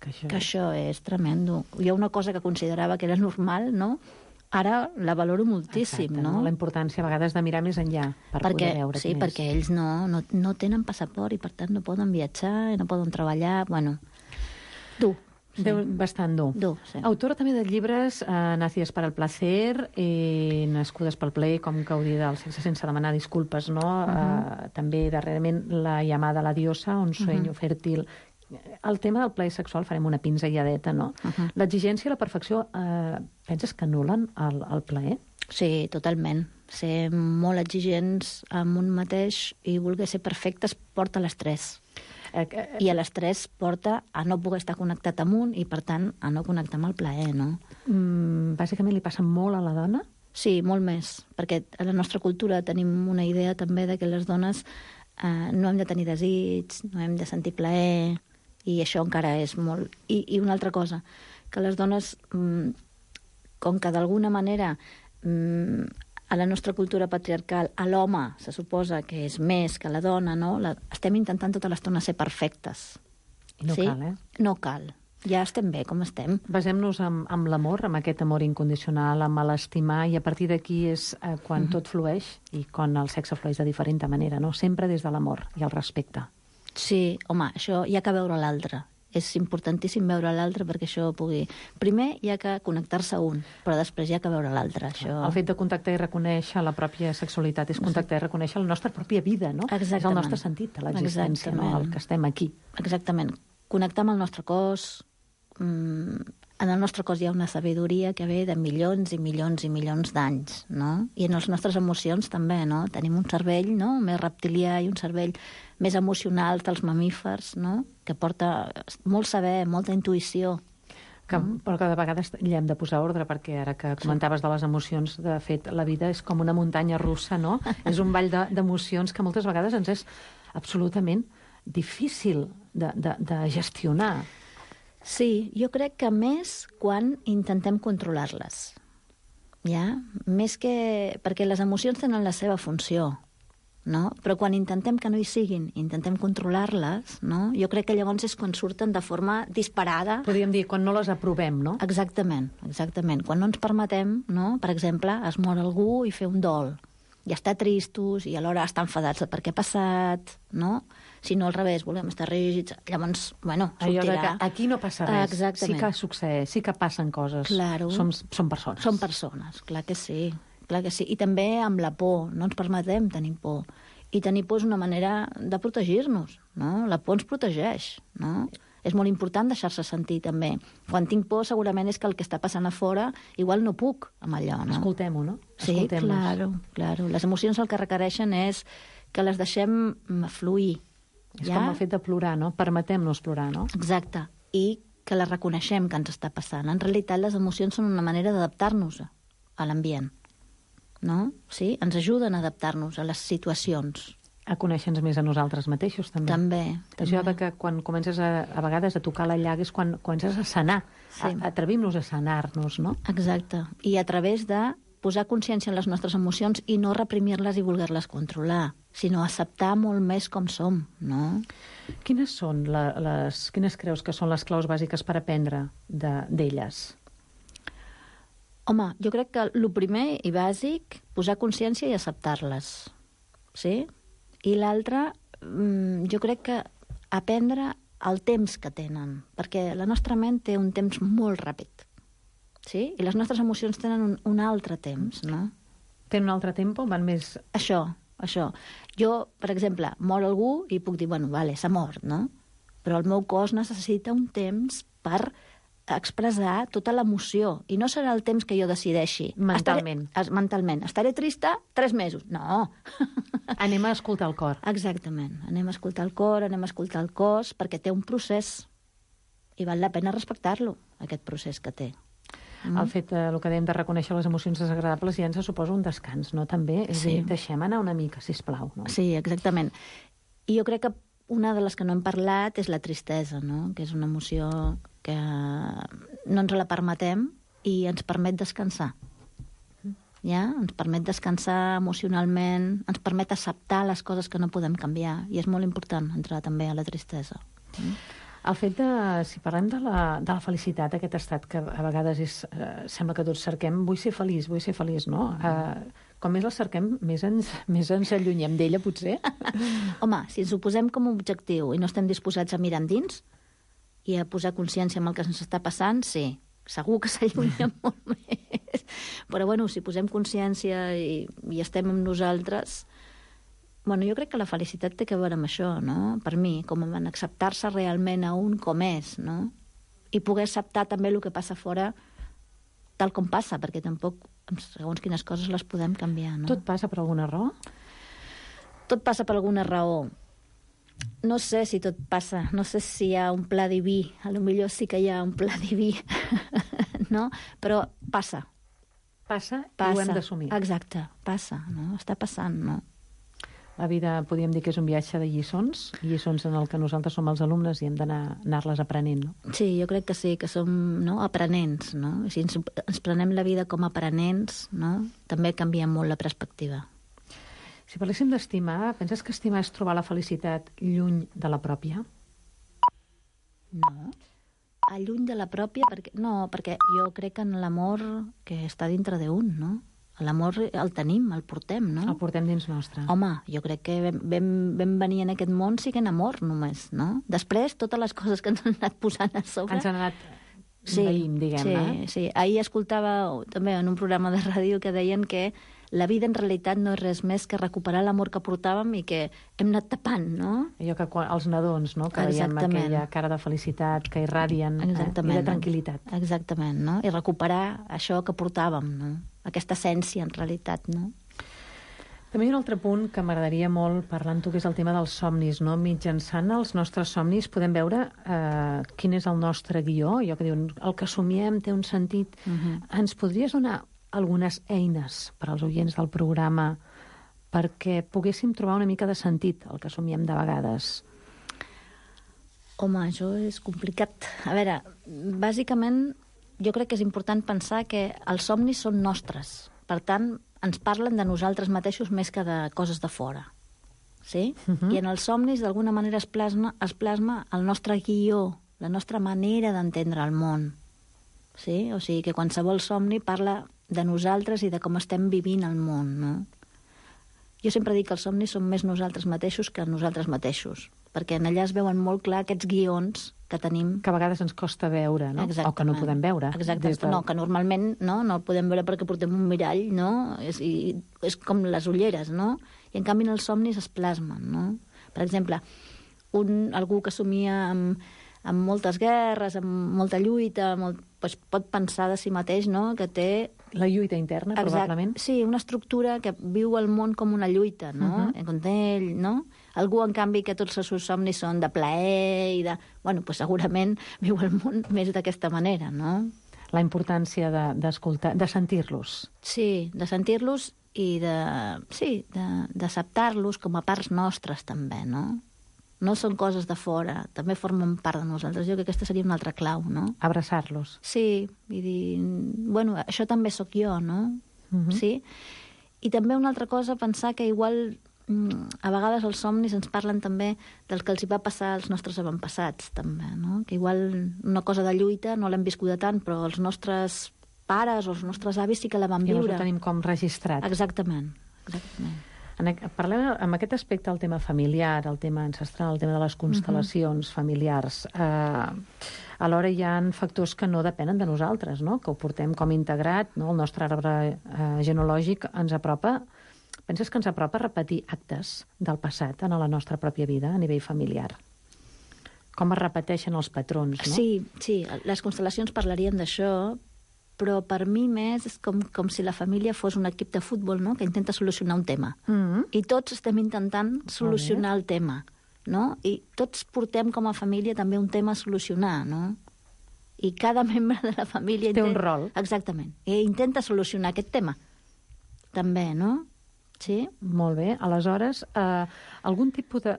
Que això és tremendo. Hi ha una cosa que considerava que era normal, no? Ara la valoro moltíssim, no?
La importància a vegades de mirar més enllà per poder veure.
Sí, perquè ells no tenen passaport i per tant no poden viatjar, no poden treballar, dur.
Sí. Bastant dur.
Sí.
Autora també de llibres Nacides para el placer i Nascudes pel plaer, com gaudir del sexe sense demanar disculpes, no? També darrerament La llamada a la diosa, Un sueño fèrtil. El tema del plaer sexual farem una pinzelladeta, no? L'exigència i la perfecció, penses que anul·len el plaer?
Sí, totalment. Ser molt exigents amb un mateix i voler ser perfectes porta a l'estrès. I a l'estrès porta a no poder estar connectat amb un i, per tant, a no connectar amb el plaer, no?
Bàsicament li passa molt a la dona?
Sí, molt més, perquè a la nostra cultura tenim una idea també de que les dones no hem de tenir desig, no hem de sentir plaer, i això encara és molt... I una altra cosa, que les dones, com que d'alguna manera a la nostra cultura patriarcal a l'home se suposa que és més que la dona, no? Estem intentant tota l'estona ser perfectes.
I no cal,
No cal. Ja estem bé com estem.
Basem-nos amb l'amor, amb aquest amor incondicional, amb l'estimar, i a partir d'aquí és quan tot flueix i quan el sexe flueix de diferent manera, no? Sempre des de l'amor i el respecte.
Sí, home, això hi ha que veure l'altre. és importantíssim veure l'altre perquè això pugui... Primer hi ha que connectar-se un, però després hi ha que veure l'altre. Això...
El fet de contactar i reconèixer la pròpia sexualitat és contactar i reconèixer la nostra pròpia vida, no?
Exactament.
És el nostre sentit de l'existència, no? El que estem aquí.
Exactament. Connectar amb el nostre cos. En el nostre cos hi ha una sabidoria que ve de milions i milions i milions d'anys, no? I en les nostres emocions també, no? Tenim un cervell, no?, més reptilià i un cervell més emocional dels mamífers, no?, que porta molt saber, molta intuïció.
Però que de vegades hi hem de posar ordre, perquè ara que comentaves de les emocions, de fet, la vida és com una muntanya russa, no? És un ball d'emocions que moltes vegades ens és absolutament difícil de gestionar.
Sí, jo crec que més quan intentem controlar-les. Ja? Més que... Perquè les emocions tenen la seva funció, no? Però quan intentem que no hi siguin, intentem controlar-les, no? Jo crec que llavors és quan surten de forma disparada.
Podríem dir, quan no les aprovem, no?
Exactament, exactament. Quan no ens permetem, no? Per exemple, es mor algú i fer un dol. I estar tristos i alhora estar enfadats de per què ha passat, no? Si no, al revés, volem estar rígids, llavors, bueno, sortirà.
Allò que aquí no passa res.
Exactament.
Sí que succeeix, sí que passen coses.
Claro.
Som persones.
Som persones, clar que sí. Clar que sí. I també amb la por, no ens permetem tenir por. I tenir por és una manera de protegir-nos, no? La por ens protegeix, no? És molt important deixar-se sentir, també. Quan tinc por, segurament és que el que està passant a fora, igual no puc amb allò, no?
Escoltem-ho, no?
Sí, claro. Les emocions el que requereixen és que les deixem fluir.
És com el fet de plorar, no? Permetem-nos plorar, no?
Exacte. I que les reconeixem que ens està passant. En realitat, les emocions són una manera d'adaptar-nos a l'ambient, no? Sí? Ens ajuden a adaptar-nos a les situacions.
A conèixer-nos més a nosaltres mateixos, també.
També.
Això que quan comences a vegades a tocar la llaga és quan comences a sanar. Sí. Atrevim-nos a sanar-nos, no?
Exacte. I a través de posar consciència en les nostres emocions i no reprimir-les i voler-les controlar, sinó acceptar molt més com som, no?
Quines són quines creus que són les claus bàsiques per aprendre d'elles?
Home, jo crec que el primer i bàsic, posar consciència i acceptar-les, sí? I l'altre, jo crec que aprendre el temps que tenen, perquè la nostra ment té un temps molt ràpid, sí? I les nostres emocions tenen un altre temps, no?
Tenen un altre tempo? Van més...
Això. Jo, per exemple, mor algú i puc dir, bueno, vale, s'ha mort, no? Però el meu cos necessita un temps per expressar tota l'emoció. I no serà el temps que jo decideixi.
Mentalment.
Mentalment. Estaré trista 3 mesos. No.
Anem a escoltar el cor.
Exactament. Anem a escoltar el cor, anem a escoltar el cos, perquè té un procés. I val la pena respectar-lo, aquest procés que té.
El fet, el que dèiem de reconèixer les emocions desagradables ja ens suposa un descans, no? També, és dir, deixem anar una mica, sisplau. No?
Sí, exactament. I jo crec que una de les que no hem parlat és la tristesa, no? Que és una emoció que no ens la permetem i ens permet descansar. Ja? Ens permet descansar emocionalment, ens permet acceptar les coses que no podem canviar, i és molt important entrar també a la tristesa.
El fet de, si parlem de la felicitat, aquest estat que a vegades sembla que tots cerquem, vull ser feliç, no? Com més la cerquem, més ens allunyem d'ella, potser.
Home, si ens ho posem com un objectiu i no estem disposats a mirar endins i a posar consciència en el que ens està passant, sí, segur que s'allunya molt més. Però, bueno, si posem consciència i estem amb nosaltres... Bueno, jo crec que la felicitat té a veure amb això, no? Per mi, com en acceptar-se realment a un com és, no? I poder acceptar també el que passa fora tal com passa, perquè tampoc, segons quines coses, les podem canviar, no?
Tot passa per alguna raó?
Tot passa per alguna raó. No sé si tot passa, no sé si hi ha un pla diví, potser sí que hi ha un pla diví, no? Però passa.
Passa i ho hem d'assumir.
Exacte, passa, no? Està passant, no?
La vida, podríem dir que és un viatge de lliçons en el que nosaltres som els alumnes i hem d'anar-les aprenent, no?
Sí, jo crec que sí, que som aprenents, no? Si ens prenem la vida com a aprenents, no? També canvia molt la perspectiva.
Si parléssim d'estimar, penses que estimar és trobar la felicitat lluny de la pròpia?
No. Lluny de la pròpia? No, perquè jo crec en l'amor que està dintre d'un, no? L'amor el tenim, el portem, no?
El portem dins nostre.
Home, jo crec que vam venir en aquest món siguent amor, només, no? Després, totes les coses que ens han anat posant a sobre...
Ens han anat veïm, diguem-ne.
Sí. Ahir escoltava també en un programa de ràdio que deien que la vida en realitat no és res més que recuperar l'amor que portàvem i que hem anat tapant, no?
Allò que els nadons, no?, que veiem aquella cara de felicitat, que irradien, i de tranquil·litat.
Exactament, no? I recuperar això que portàvem, no? Aquesta essència, en realitat, no?
També hi ha un altre punt que m'agradaria molt parlar amb tu, que és el tema dels somnis, no? Mitjançant els nostres somnis podem veure quin és el nostre guió, allò que diuen, el que somiem té un sentit. Ens podries donar algunes eines per als oients del programa perquè poguéssim trobar una mica de sentit el que somiem de vegades?
Home, això és complicat. A veure, bàsicament jo crec que és important pensar que els somnis són nostres. Per tant, ens parlen de nosaltres mateixos més que de coses de fora. Sí? I en els somnis, d'alguna manera, es plasma el nostre guió, la nostra manera d'entendre el món. Sí? O sigui, que qualsevol somni parla de nosaltres i de com estem vivint el món, no? Jo sempre dic que els somnis són més nosaltres mateixos que nosaltres mateixos, perquè en allà es veuen molt clar aquests guions que tenim...
Que a vegades ens costa veure, no?
Exactament.
O que no podem veure.
Exacte, no, que normalment no el podem veure perquè portem un mirall, no? És com les ulleres, no? I en canvi en els somnis es plasmen, no? Per exemple, algú que somia amb moltes guerres, amb molta lluita, doncs pot pensar de si mateix, no?, que té...
La lluita interna, probablement.
Sí, una estructura que viu el món com una lluita, no? Com ell, no? Algú, en canvi, que tots els seus somnis són de plaer i de... Bueno, doncs segurament viu el món més d'aquesta manera, no?
La importància d'escoltar, de sentir-los.
Sí, de sentir-los i d'acceptar-los com a parts nostres, també, no? No són coses de fora, també formen part de nosaltres. Jo crec que aquesta seria una altra clau, no?
Abraçar-los.
Sí, i dir, bueno, això també sóc jo, no? Sí? I també una altra cosa, pensar que igual a vegades els somnis ens parlen també del que els hi va passar als nostres avantpassats, també, no? Que igual una cosa de lluita no l'hem viscuda tant, però els nostres pares o els nostres avis sí que la van viure.
I ho tenim com registrat.
Exactament.
Parlem amb aquest aspecte el tema familiar, el tema ancestral, el tema de les constel·lacions familiars. Alhora hi ha factors que no depenen de nosaltres, no? Que ho portem com integrat, no? El nostre arbre genealògic ens apropa. Penses que ens apropa a repetir actes del passat en la nostra pròpia vida a nivell familiar? Com es repeteixen els patrons, no?
Sí, les constel·lacions parlarien d'això, però per mi més és com si la família fos un equip de futbol, no?, que intenta solucionar un tema. I tots estem intentant solucionar el tema, no? I tots portem com a família també un tema a solucionar, no? I cada membre de la família...
Té un rol.
Exactament. I intenta solucionar aquest tema. També, no? Sí?
Molt bé. Aleshores, algun tipus de...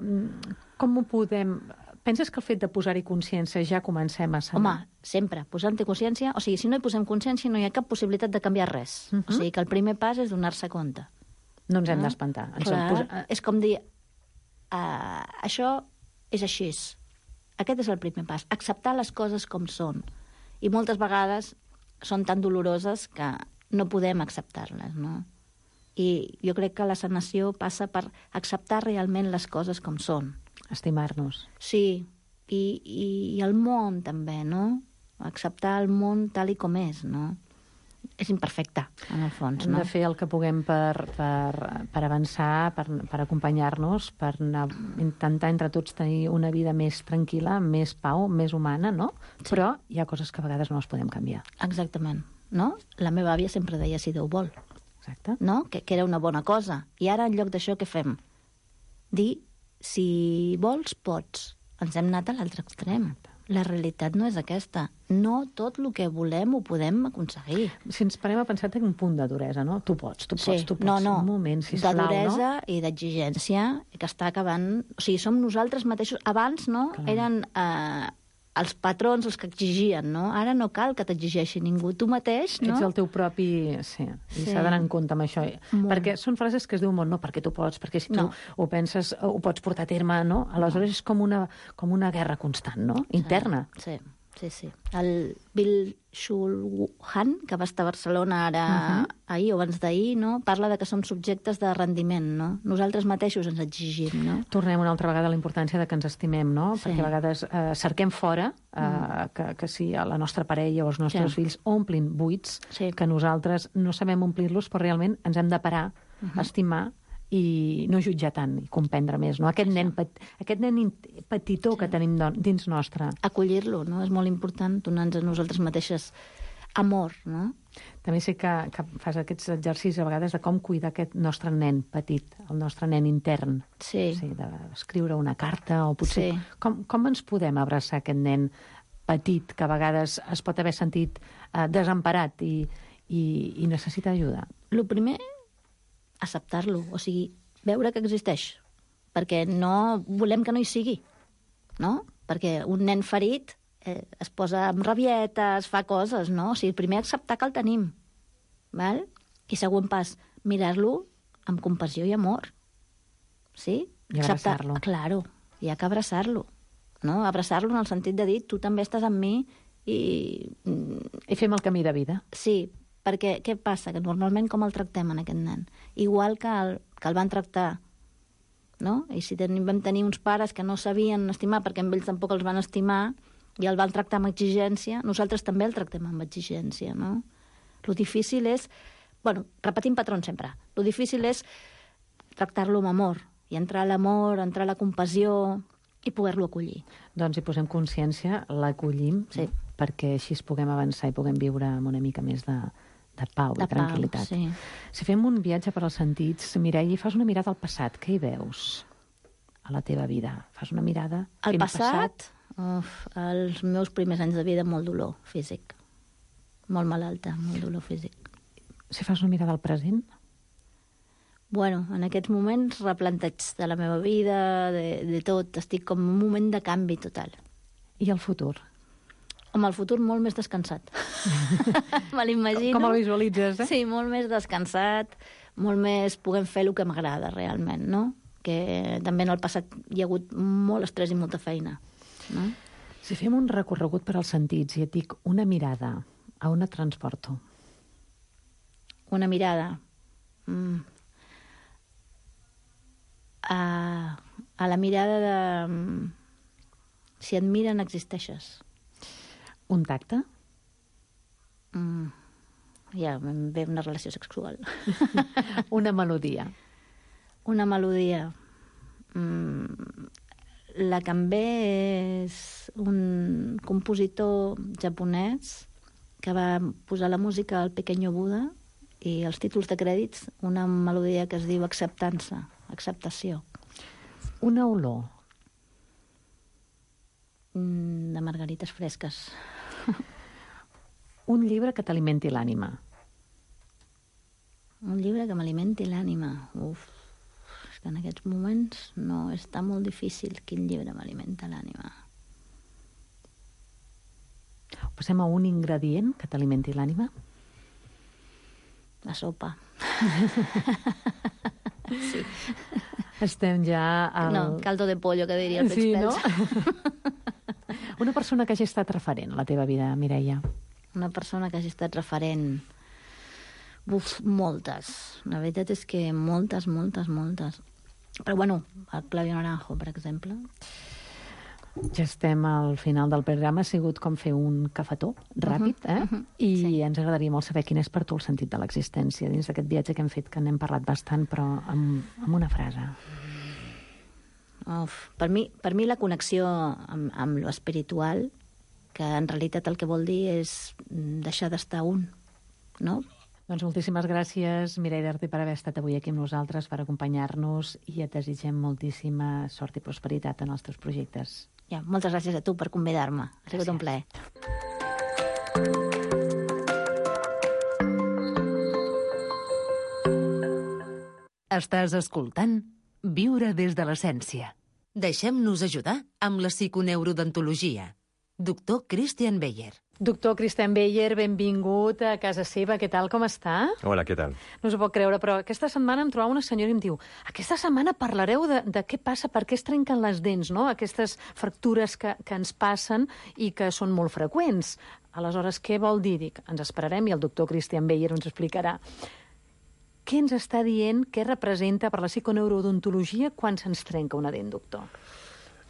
Com ho podem... Penses que el fet de posar-hi consciència ja comencem a saber?
Home, sempre. Posant-hi consciència... O sigui, si no hi posem consciència no hi ha cap possibilitat de canviar res. O sigui, que el primer pas és donar-se compte.
No ens hem d'espantar.
És com dir... això és així. Aquest és el primer pas. Acceptar les coses com són. I moltes vegades són tan doloroses que no podem acceptar-les, no? I jo crec que la sanació passa per acceptar realment les coses com són.
Estimar-nos.
Sí, i el món també, no? Acceptar el món tal i com és, no? És imperfecte, en el fons, no?
Hem de fer el que puguem per avançar, per acompanyar-nos, per intentar entre tots tenir una vida més tranquil·la, més pau, més humana, no? Sí. Però hi ha coses que a vegades no les podem canviar.
Exactament, no? La meva àvia sempre deia si Déu vol.
Exacte.
No? Que era una bona cosa. I ara, en lloc d'això, què fem? Dir, si vols, pots. Ens hem anat a l'altre extrem. La realitat no és aquesta. No tot el que volem ho podem aconseguir.
Si ens parem a pensar, té un punt de duresa, no? Tu pots.
No.
Un moment, sisplau,
de duresa,
no?
I d'exigència, que està acabant... O sigui, som nosaltres mateixos. Abans, no? Clar. Eren els patrons els que exigien, no? Ara no cal que t'exigeixi ningú. Tu mateix, no?
Ets el teu propi... Sí. I s'ha d'anar en compte amb això. Molt. Perquè són frases que es diuen molt, no, perquè tu pots, perquè si tu ho penses, ho pots portar a terme, no? Aleshores és com una guerra constant, no? Interna.
Sí. Sí. El Bill Schulhan, que va estar a Barcelona ahir o abans d'ahir, no? Parla de que som subjectes de rendiment, no? Nosaltres mateixos ens exigim, no?
Tornem una altra vegada a la importància de que ens estimem, no?
Sí.
Perquè a vegades cerquem fora que si la nostra parella o els nostres fills omplin buits, que nosaltres no sabem omplir-los, però realment ens hem de parar, estimar i no jutjar tant, i comprendre més, no? Aquest nen petitó que tenim dins nostre.
Acollir-lo, no? És molt important donar-nos a nosaltres mateixes amor, no?
També sé que fas aquests exercicis a vegades de com cuidar aquest nostre nen petit, el nostre nen intern.
Sí.
D'escriure una carta o potser... Com ens podem abraçar aquest nen petit que a vegades es pot haver sentit desemparat i necessita ajuda?
El primer, acceptar-lo, o sigui, veure que existeix, perquè no volem que no hi sigui, no? Perquè un nen ferit es posa amb rabietes, fa coses, no? O sigui, primer acceptar que el tenim, val? I següent pas, mirar-lo amb compassió i amor, sí?
I abraçar-lo.
Claro, hi ha que abraçar-lo, no? Abraçar-lo en el sentit de dir, tu també estàs amb mi i
fem el camí de vida.
Sí, perquè què passa? Que normalment com el tractem en aquest nen? Igual que el van tractar, no? I si vam tenir uns pares que no sabien estimar perquè amb ells tampoc els van estimar i el van tractar amb exigència, nosaltres també el tractem amb exigència, no? Lo difícil és... Bueno, repetim patrons sempre. Lo difícil és tractar-lo amb amor i entrar a l'amor, entrar a la compassió i poder-lo acollir.
Doncs hi posem consciència, l'acollim, perquè així es puguem avançar i puguem viure amb una mica més de pau i tranquil·litat.
Sí.
Si fem un viatge per als sentits, Mireia, fas una mirada al passat. Què hi veus a la teva vida? Fas una mirada...
Al passat? Els meus primers anys de vida, molt dolor físic. Molt malalta, molt dolor físic.
Si fas una mirada al present?
Bueno, en aquests moments replanteig de la meva vida, de tot. Estic com en un moment de canvi total.
I el futur?
Home, el futur molt més descansat. Me l'imagino.
Com el visualitzes,
Sí, molt més descansat, molt més puguem fer el que m'agrada realment, no? Que també en el passat hi ha hagut molt estrès i molta feina, no?
Si fem un recorregut per als sentits i et dic una mirada, a on et transporto?
Una mirada... A la mirada de... Si et miren, existeixes.
Un tacte?
Ja em ve una relació sexual.
Una melodia?
Una melodia. La que em ve és un compositor japonès que va posar la música al Pequeño Buda i els títols de crèdits una melodia que es diu Acceptança, acceptació.
Una olor?
De margarites fresques.
Un llibre que t'alimenti l'ànima?
Un llibre que m'alimenti l'ànima? És que en aquests moments no, està molt difícil quin llibre m'alimenta l'ànima.
Passem a un ingredient que t'alimenti l'ànima?
La sopa. Sí.
Estem ja al...
No, caldo de pollo, que diria el Pets Pels.
No? Una persona que hagi estat referent a la teva vida, Mireia.
Una persona que hagi estat referent... moltes. La veritat és que moltes. Però bueno, el Claudio Naranjo, per exemple.
Ja estem al final del programa. Ha sigut com fer un cafetó ràpid, I ens agradaria molt saber quin és per tu el sentit de l'existència dins d'aquest viatge que hem fet, que n'hem parlat bastant, però amb una frase.
Per mi la connexió amb lo espiritual, que en realitat el que vol dir és deixar d'estar un, no?
Doncs moltíssimes gràcies, Mireia Darder, per haver estat avui aquí amb nosaltres, per acompanyar-nos, i et desitgem moltíssima sort i prosperitat en els teus projectes.
Ja, moltes gràcies a tu per convidar-me. Ha sigut un plaer.
Estàs escoltant Viure des de l'essència. Deixem-nos ajudar amb la psiconeurodontologia. Doctor Christian Beyer.
Doctor Cristian Beyer, benvingut a casa seva. Què tal, com està?
Hola, què tal?
No s'ho pot creure, però aquesta setmana em trobava una senyora i em diu aquesta setmana parlareu de què passa, per què es trenquen les dents, no? Aquestes fractures que ens passen i que són molt freqüents. Aleshores, què vol dir? Dic, ens esperarem i el doctor Cristian Beyer ens explicarà. Què ens està dient, què representa per la psiconeurodontologia quan se'ns trenca una dent, doctor?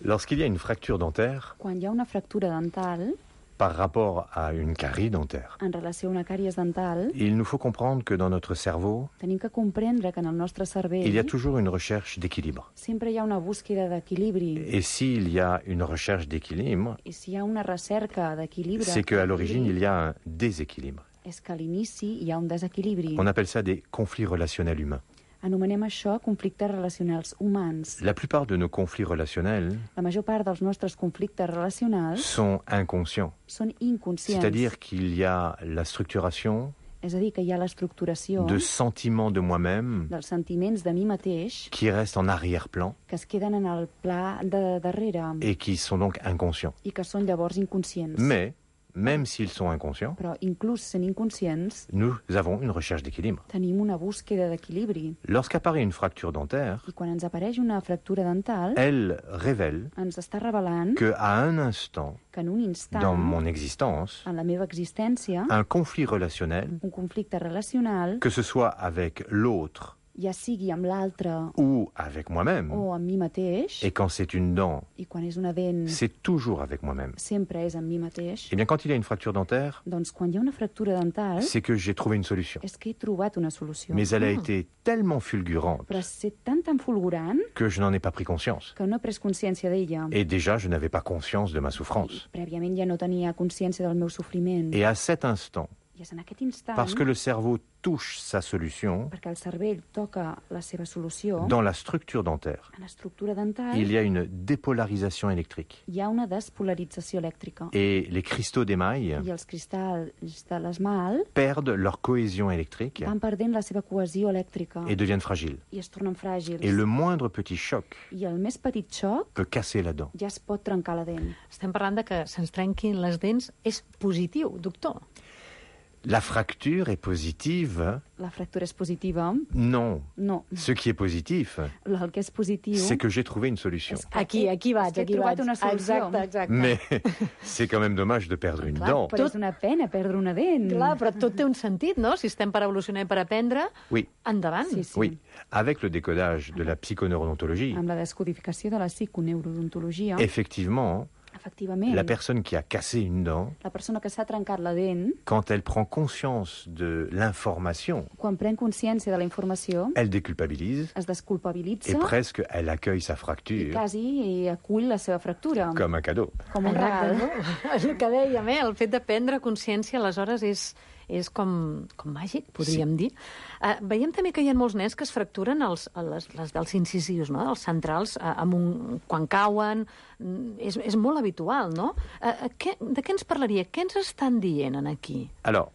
Lorsqu'il y a une fracture dentaire,
quan hi ha una fractura dental,
par rapport à une carie dentaire,
en relació a una càries dental,
il nous faut comprendre que dans notre cerveau,
tenim que comprendre que en el nostre cervell
il y a toujours une recherche d'équilibre.
Sempre hi ha una búsqueda d'equilibri.
Et s'il y a une recherche d'équilibre,
I si hi ha una recerca d'equilibre,
c'est qu'à l'origine, il y a un déséquilibre.
és que a l'inici hi ha un desequilibri.
On appelle ça des conflits relationnels humains.
Anomenem això conflictes relacionals humans.
La plupart de nos conflits relationnels
La major part dels nostres conflictes relacionals
sont inconscients.
són inconscients.
C'est-à-dire qu'il y a la structuration
És a dir, que hi ha l'estructuració
de sentiments de moi-même
dels sentiments de mi mateix
qui restent en arrière-plan
que es queden en el pla de darrere
et qui sont donc inconscients.
i que són llavors inconscients.
Mais, même s'ils sont inconscients,
Però inclús sent inconscients,
nous avons une recherche d'équilibre.
tenim una búsqueda d'equilibri.
Lorsqu'apparaît une fracture dentaire,
I quan ens apareix una fractura dental,
elle révèle
ens està revelant
qu'à un instant
que en un instant,
dans mon existence,
en la meva existència,
un conflit relationnel,
un conflicte relacional,
que ce soit avec l'autre
ja sigui amb l'altre
ou avec moi-même,
o amb mi mateix,
et quand c'est une dent,
i quan és una dent,
c'est toujours avec moi-même.
sempre és amb mi mateix,
Eh bien, quand il y a une fracture dentaire,
doncs quan hi ha una fractura dental,
c'est que j'ai trouvé une solution.
és que he trobat una solució.
Mais elle a été tellement fulgurante
Però és tan fulgurant
que je n'en ai pas pris conscience.
que no he pres consciència d'ella.
Et déjà, je n'avais pas conscience de ma souffrance.
Prèviament ja no tenia consciència del meu sofriment.
Et à cet instant,
I és en aquest instant,
parce que le cerveau touche sa solution,
perquè el cervell toca la seva solució,
dans la structure dentaire,
en l'estructura dental
il y a une dépolarisation électrique.
hi ha una despolarització elèctrica.
Et les cristaux d'émail
I els cristalls de l'esmalt
perdent leur cohésion électrique
van perdent la seva cohesió elèctrica
et deviennent fragiles.
i es tornen fràgils.
Et le moindre petit choc
I el més petit xoc
peut casser la dent.
ja es pot trencar la dent.
Estem parlant de que se'ns trenquin les dents. És positiu, doctor.
La fracture est positive?
La fractura és positiva?
Non.
No.
Ce qui est positif,
El que és positiu...
c'est que j'ai trouvé une solution.
Aquí vaig,
és que he trobat una solució.
Exacte.
Mais c'est quand même dommage de perdre une dent.
Però és una pena perdre una dent.
Clar, però tot té un sentit, no? Si estem per evolucionar i per aprendre,
Oui.
endavant.
Sí, sí.
Oui. Avec le décodage de la psychoneurodontologie,
Amb la descodificació de la psiconeurodontologia,
efectivement,
efectivament,
la personne qui a cassé une dent,
la persona que s'ha trencat la dent,
quand elle prend conscience de l'information,
quan pren consciència de la informació,
elle déculpabilise
es desculpabilitza
et presque elle accueille sa
i
fracture
quasi acull la seva fractura.
comme un cadeau.
Com un regal.
És el que dèiem, el fet de prendre consciència, aleshores, és com màgic, podríem dir. Veiem també que hi ha molts nens que es fracturen les dels incisius, no? Els centrals, quan cauen. És molt habitual, no? De què ens parlaria? Què ens estan dient aquí?
Alors,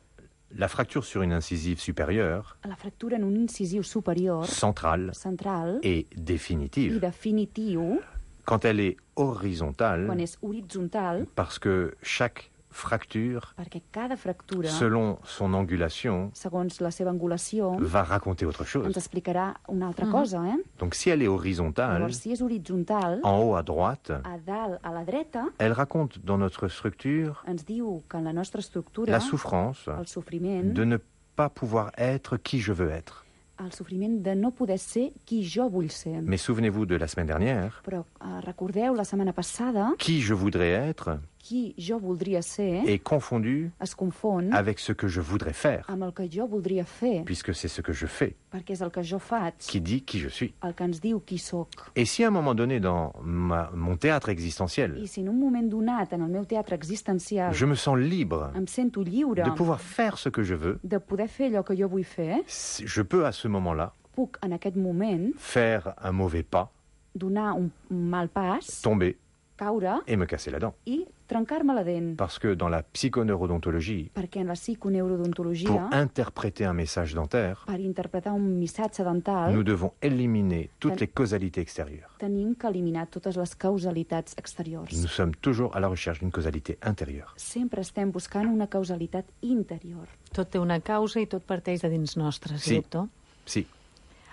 la fracture sur une incisive supérieure,
La fractura en un incisiu superior,
centrale
central
et
i
définitive,
definitiu,
quand elle est horizontale,
quan és horitzontal,
parce que chaque fracture,
perquè cada fractura,
selon son angulation,
segons la seva angulació,
va raconter autre chose.
ens explicarà una altra cosa, eh?
Donc si elle est horizontale,
Llavors, si és horitzontal,
en haut à droite,
a dalt, a la dreta,
elle raconte dans notre structure
ens diu que en la nostra estructura,
la souffrance
el sofriment,
de ne pas pouvoir être qui je veux être.
el sofriment de no poder ser qui jo vull ser.
Mais souvenez-vous de la semaine dernière,
Però recordeu, la setmana passada,
qui je voudrais être
qui jo voldria ser
est confondu
es confon
avec ce que je voudrais faire,
amb el que jo voldria fer,
puisque c'est ce que je fais
perquè és el que jo faig,
qui dit qui je suis.
el que ens diu qui sóc.
Et si à un moment donné dans mon théâtre existentiel,
I si en un moment donat, en el meu teatre existencial,
je me sens libre
em sento lliure
de pouvoir faire ce que je veux,
de poder fer allò que jo vull fer,
je peux à ce moment-là
puc en aquest moment
faire un mauvais pas,
donar un mal pas,
tomber
caure
et me casser la dent.
i trencar-me la dent.
Parce que dans la psychoneurodontologie,
Perquè en la psiconeurodontologia,
pour interpréter un message dentaire,
per interpretar un missatge dental,
nous devons éliminer toutes les causalités extérieures.
tenim que eliminar totes les causalitats exteriors.
Nous sommes toujours à la recherche d'une causalité intérieure.
Sempre estem buscant una causalitat interior.
Tot té una causa i tot parteix de dins nostres,
Sí.
doctor?
Sí.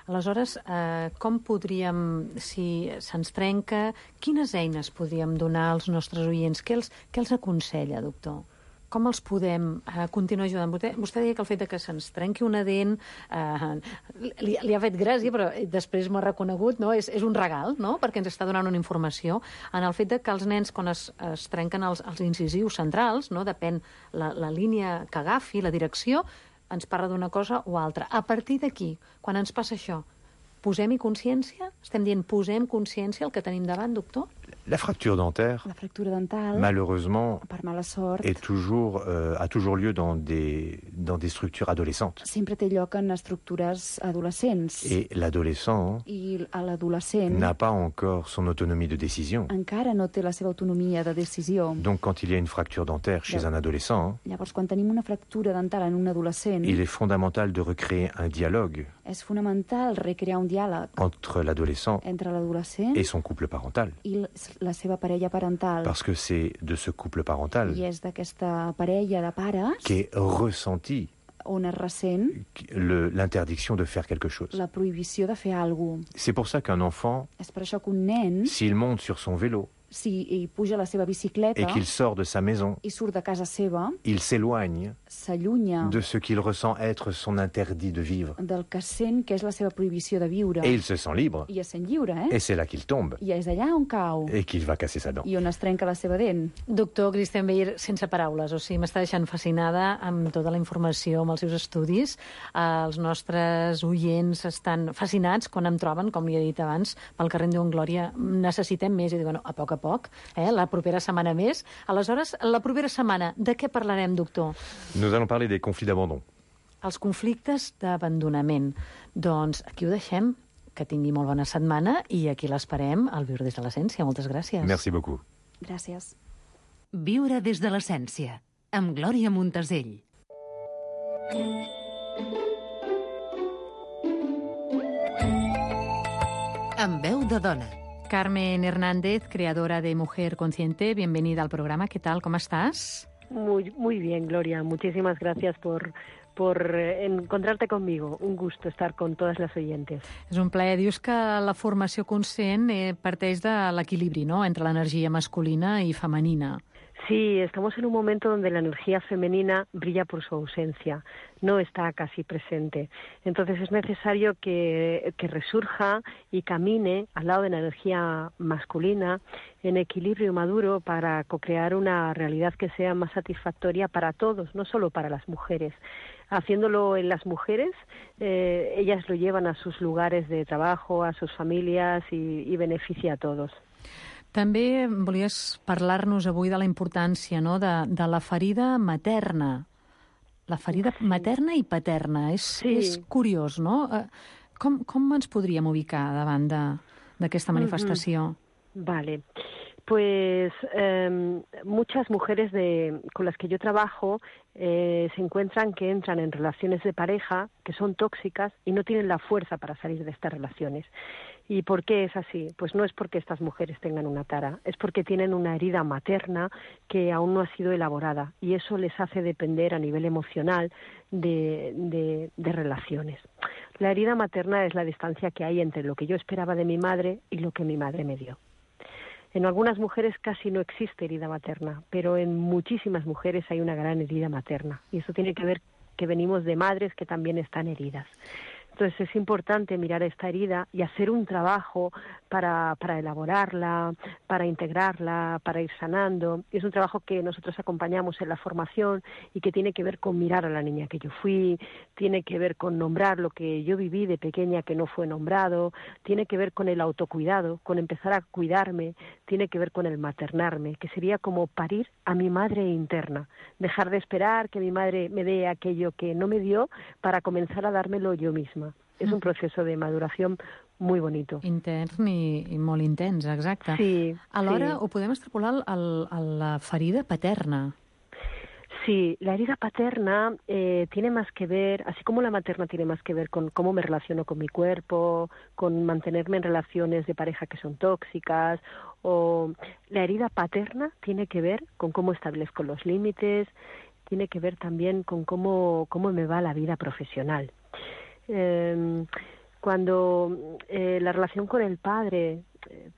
Aleshores, com podríem, si se'ns trenca, quines eines podríem donar als nostres oients? Què els aconsella, doctor? Com els podem continuar ajudant? Vostè deia que el fet de que se'ns trenqui una dent li ha fet gràcia, però després m'ha reconegut, no? És un regal, no?, perquè ens està donant una informació en el fet de que els nens, quan es trenquen els incisius centrals, no?, depèn la línia que agafi, la direcció, ens parla d'una cosa o altra. A partir d'aquí, quan ens passa això, posem-hi consciència? Estem dient posem consciència al que tenim davant, doctor?
La fracture dentaire,
La fractura dental,
malheureusement,
per mala sort,
a toujours lieu dans des structures adolescentes.
sempre té lloc en estructures adolescents.
Et l'adolescent
I a l'adolescent
n'a pas encore son autonomie de décision.
encara no té la seva autonomia de decisió.
Donc quand il y a une fracture dentaire chez un adolescent,
Llavors, quan tenim una fractura dental en un adolescent,
il est fondamental de recréer un dialogue
és fonamental recrear un diàleg
entre l'adolescent
entre l'adolescent
et son couple parental.
i la seva parella parental.
Parce que c'est de ce couple parental
I és d'aquesta parella de pares
qu'est ressentie
on es ressent
l'interdiction de faire quelque chose.
la prohibició de fer alguna cosa.
C'est pour ça qu'un enfant,
És per això que un nen,
s'il monte sur son vélo
si hi puja a la seva bicicleta
et qu'il sort de sa maison,
i surt de casa seva,
il s'éloigne
s'allunya
de ce qu'il ressent être son interdit de vivre.
del que sent que és la seva prohibició de viure.
Et il se sent libre.
I es sent lliure,
Et c'est là qu'il tombe
I és allà on cau
et qu'il va casser sa dent.
i on es trenca la seva dent.
Doctor Christian Beyer, sense paraules, o sigui, m'està deixant fascinada amb tota la informació, amb els seus estudis. Els nostres oients estan fascinats quan em troben, com li he dit abans, pel carrer en diuen Glòria, necessitem més, i dic, bueno, a poc, la propera setmana més. Aleshores, la propera setmana, de què parlarem, doctor?
Nous allons parler des conflits d'abandon.
Els conflictes d'abandonament. Doncs aquí ho deixem. Que tingui molt bona setmana i aquí l'esperem al Viure des de l'Essència. Moltes gràcies.
Merci beaucoup.
Gràcies.
Viure des de l'Essència, amb Glòria Montesell. Amb veu de dona.
Carmen Hernández, creadora de Mujer Consciente, bienvenida al programa. ¿Qué tal? ¿Cómo estás?
Muy bien, Gloria. Muchísimas gracias por encontrarte conmigo. Un gusto estar con todas las oyentes.
És un plaer. Dius que la formació conscient parteix de l'equilibri, no?, entre l'energia masculina i femenina.
Sí, estamos en un momento donde la energía femenina brilla por su ausencia, no está casi presente. Entonces es necesario que resurja y camine al lado de la energía masculina en equilibrio maduro para co-crear una realidad que sea más satisfactoria para todos, no solo para las mujeres. Haciéndolo en las mujeres, ellas lo llevan a sus lugares de trabajo, a sus familias y beneficia a todos.
També volies parlar-nos avui de la importància, no?, de la ferida materna. La ferida materna i paterna. És curiós, no? Com ens podríem ubicar davant d'aquesta manifestació?
Vale. Pues muchas mujeres con las que yo trabajo se encuentran que entran en relaciones de pareja que son tóxicas y no tienen la fuerza para salir de estas relaciones. ¿Y por qué es así? Pues no es porque estas mujeres tengan una tara, es porque tienen una herida materna que aún no ha sido elaborada y eso les hace depender a nivel emocional de relaciones. La herida materna es la distancia que hay entre lo que yo esperaba de mi madre y lo que mi madre me dio. En algunas mujeres casi no existe herida materna, pero en muchísimas mujeres hay una gran herida materna. Y eso tiene que ver que venimos de madres que también están heridas. Entonces es importante mirar esta herida y hacer un trabajo para elaborarla, para integrarla, para ir sanando. Y es un trabajo que nosotros acompañamos en la formación y que tiene que ver con mirar a la niña que yo fui, tiene que ver con nombrar lo que yo viví de pequeña que no fue nombrado, tiene que ver con el autocuidado, con empezar a cuidarme, tiene que ver con el maternarme, que sería como parir a mi madre interna, dejar de esperar que mi madre me dé aquello que no me dio para comenzar a dármelo yo misma. Es un proceso de maduración muy bonito.
Intern i molt intens, exacte.
Sí.
Alhora, ho podem extrapolar a la ferida paterna.
Sí, la herida paterna tiene más que ver, así como la materna tiene más que ver con cómo me relaciono con mi cuerpo, con mantenerme en relaciones de pareja que son tóxicas, o la herida paterna tiene que ver con cómo establezco los límites, tiene que ver también con cómo me va la vida profesional. Cuando la relación con el padre,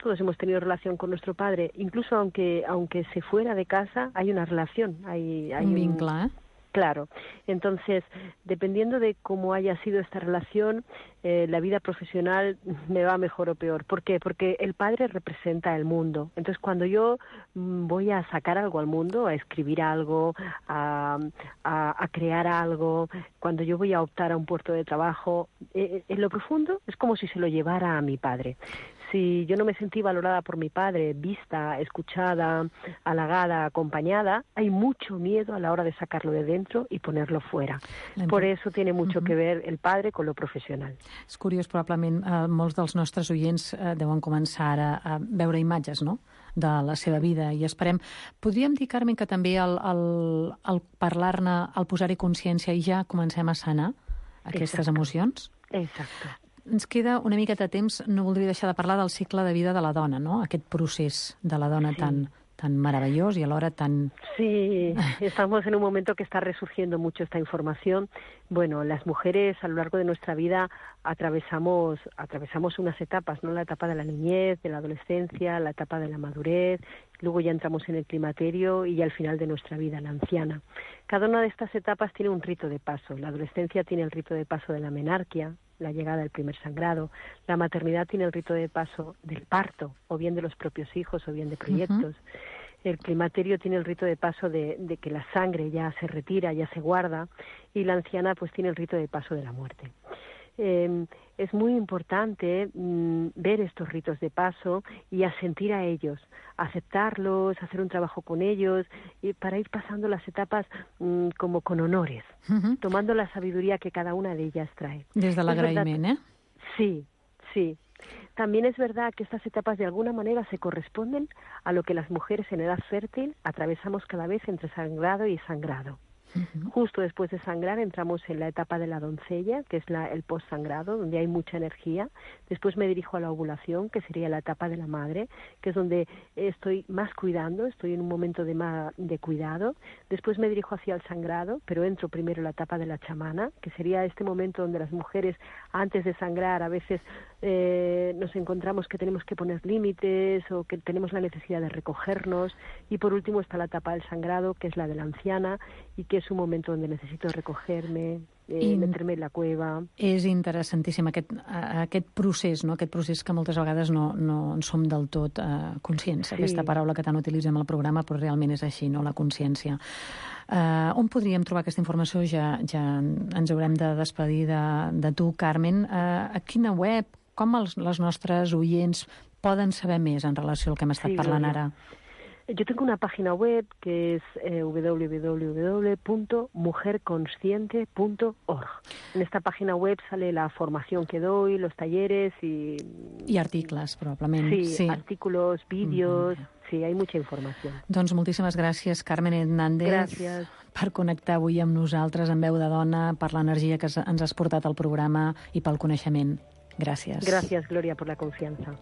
todos hemos tenido relación con nuestro padre, incluso aunque se fuera de casa, hay una relación, hay
un vínculo,
Claro. Entonces, dependiendo de cómo haya sido esta relación, la vida profesional me va mejor o peor. ¿Por qué? Porque el padre representa el mundo. Entonces, cuando yo voy a sacar algo al mundo, a escribir algo, a crear algo, cuando yo voy a optar a un puesto de trabajo, en lo profundo es como si se lo llevara a mi padre. Si yo no me sentí valorada por mi padre, vista, escuchada, halagada, acompañada, hay mucho miedo a la hora de sacarlo de dentro i ponerlo fuera. Por eso tiene mucho que ver el padre con lo profesional.
És curiós, probablement molts dels nostres oients deuen començar ara a veure imatges, no?, de la seva vida, i esperem... Podríem dir, Carmen, que també el parlar-ne, el posar-hi consciència, i ja comencem a sanar aquestes emocions?
Exacte.
Ens queda una mica de temps, no voldria deixar de parlar del cicle de vida de la dona, no? Aquest procés de la dona tan maravillós y alhora tan...
Sí, estamos en un momento que está resurgiendo mucho esta información. Bueno, las mujeres a lo largo de nuestra vida atravesamos unas etapas, ¿no? La etapa de la niñez, de la adolescencia, la etapa de la madurez, luego ya entramos en el climaterio y ya al final de nuestra vida, la anciana. Cada una de estas etapas tiene un rito de paso. La adolescencia tiene el rito de paso de la menarquia, la llegada del primer sangrado. La maternidad tiene el rito de paso del parto, o bien de los propios hijos, o bien de proyectos. El climaterio tiene el rito de paso de que la sangre ya se retira, ya se guarda, y la anciana pues tiene el rito de paso de la muerte. Es muy importante ver estos ritos de paso y asentir a ellos, aceptarlos, hacer un trabajo con ellos, y para ir pasando las etapas como con honores, tomando la sabiduría que cada una de ellas trae.
Desde l'agraïment, ¿eh?
Sí, sí. También es verdad que estas etapas de alguna manera se corresponden a lo que las mujeres en edad fértil atravesamos cada vez entre sangrado y sangrado. Justo después de sangrar entramos en la etapa de la doncella, que es el postsangrado, donde hay mucha energía. Después me dirijo a la ovulación, que sería la etapa de la madre, que es donde estoy más cuidando, estoy en un momento de cuidado. Después me dirijo hacia el sangrado, pero entro primero en la etapa de la chamana, que sería este momento donde las mujeres, antes de sangrar, a veces nos encontramos que tenemos que poner límites o que tenemos la necesidad de recogernos. Y por último está la etapa del sangrado, que es la de la anciana, y que és un moment on necessito recoger-me, metre-me en la cueva.
És interessantíssim aquest procés, no? Aquest procés que moltes vegades no en som del tot conscients. Sí. Aquesta paraula que tant utilitzem al programa, però realment és així, no? La consciència. On podríem trobar aquesta informació? Ja ens haurem de despedir de tu, Carmen. A quina web, com els nostres oients poden saber més en relació al que hem estat parlant ara?
Yo tengo una página web que es www.mujerconsciente.org. En esta página web sale la formación que doy, los talleres y...
I articles, probablement.
Sí, artículos, vídeos... Sí, hay mucha informació.
Doncs moltíssimes gràcies, Carmen Hernández, per connectar avui amb nosaltres en Veu de Dona, per l'energia que ens has portat al programa i pel coneixement. Gràcies.
Gràcies, Gloria, por la confianza.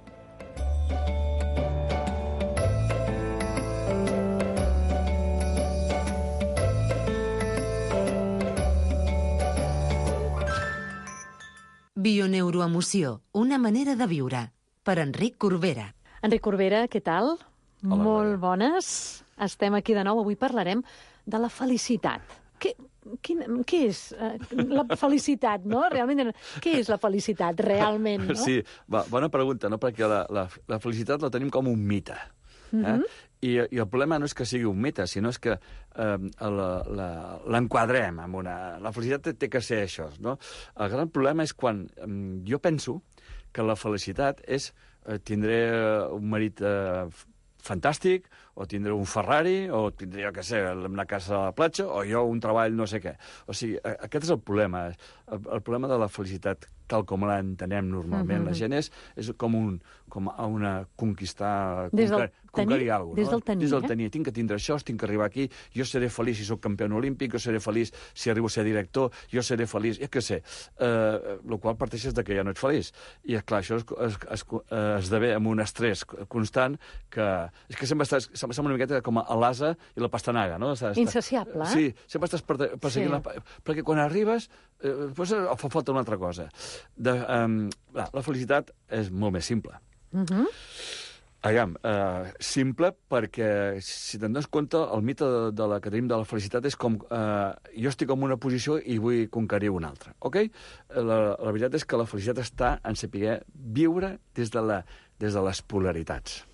Bioneuroemoció, una manera de viure. Per Enric Corbera.
Enric Corbera, què tal?
Hola,
molt bones. Estem aquí de nou. Avui parlarem de la felicitat. Què és la felicitat, no? Realment, què és la felicitat, realment, no?
Sí, bona pregunta, no? Perquè la felicitat la tenim com un mite. I el problema no és que sigui un mite, sinó és que l'enquadrem amb una... La felicitat té que ser això, no? El gran problema és quan jo penso que la felicitat és tindré un marit fantàstic, o tindré un Ferrari, o tindré, jo què sé, una casa a la platja, o jo un treball no sé què. O sigui, aquest és el problema. El problema de la felicitat, tal com la entenem normalment, la gent és com una conquistar, conquerir alguna cosa.
Des del tenir,
Des del tenir. Tinc que tindre això, tinc que arribar aquí, jo seré feliç si sóc campió olímpic, jo seré feliç si arribo a ser director, jo seré feliç, jo què sé. El qual parteixes de que ja no ets feliç. I, clar, això esdevé amb un estrès constant que... És que sempre estàs... Sembla una miqueta com a l'asa i la pastanaga, no?
Insaciable,
Sí, sempre estàs perseguint... Perquè quan arribes, després fa falta una altra cosa. La felicitat és molt més simple. Aviam, simple perquè, si te'n dones compte, el mite que tenim de la felicitat és com jo estic en una posició i vull conquerir una altra, ok? La veritat és que la felicitat està en saber viure des de les polaritats.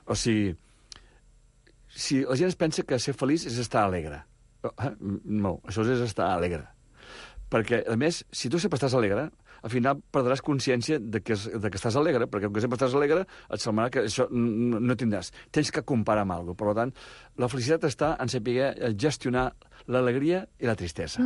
O sigui, si la gent es pensa que ser feliç és estar alegre. No, això és estar alegre. Perquè, a més, si tu sempre estàs alegre, al final perdràs consciència de que estàs alegre, perquè com que sempre estàs alegre, et semblarà que això no tindràs. Tens que comparar amb alguna cosa. Per tant, la felicitat està en saber gestionar l'alegria i la tristesa.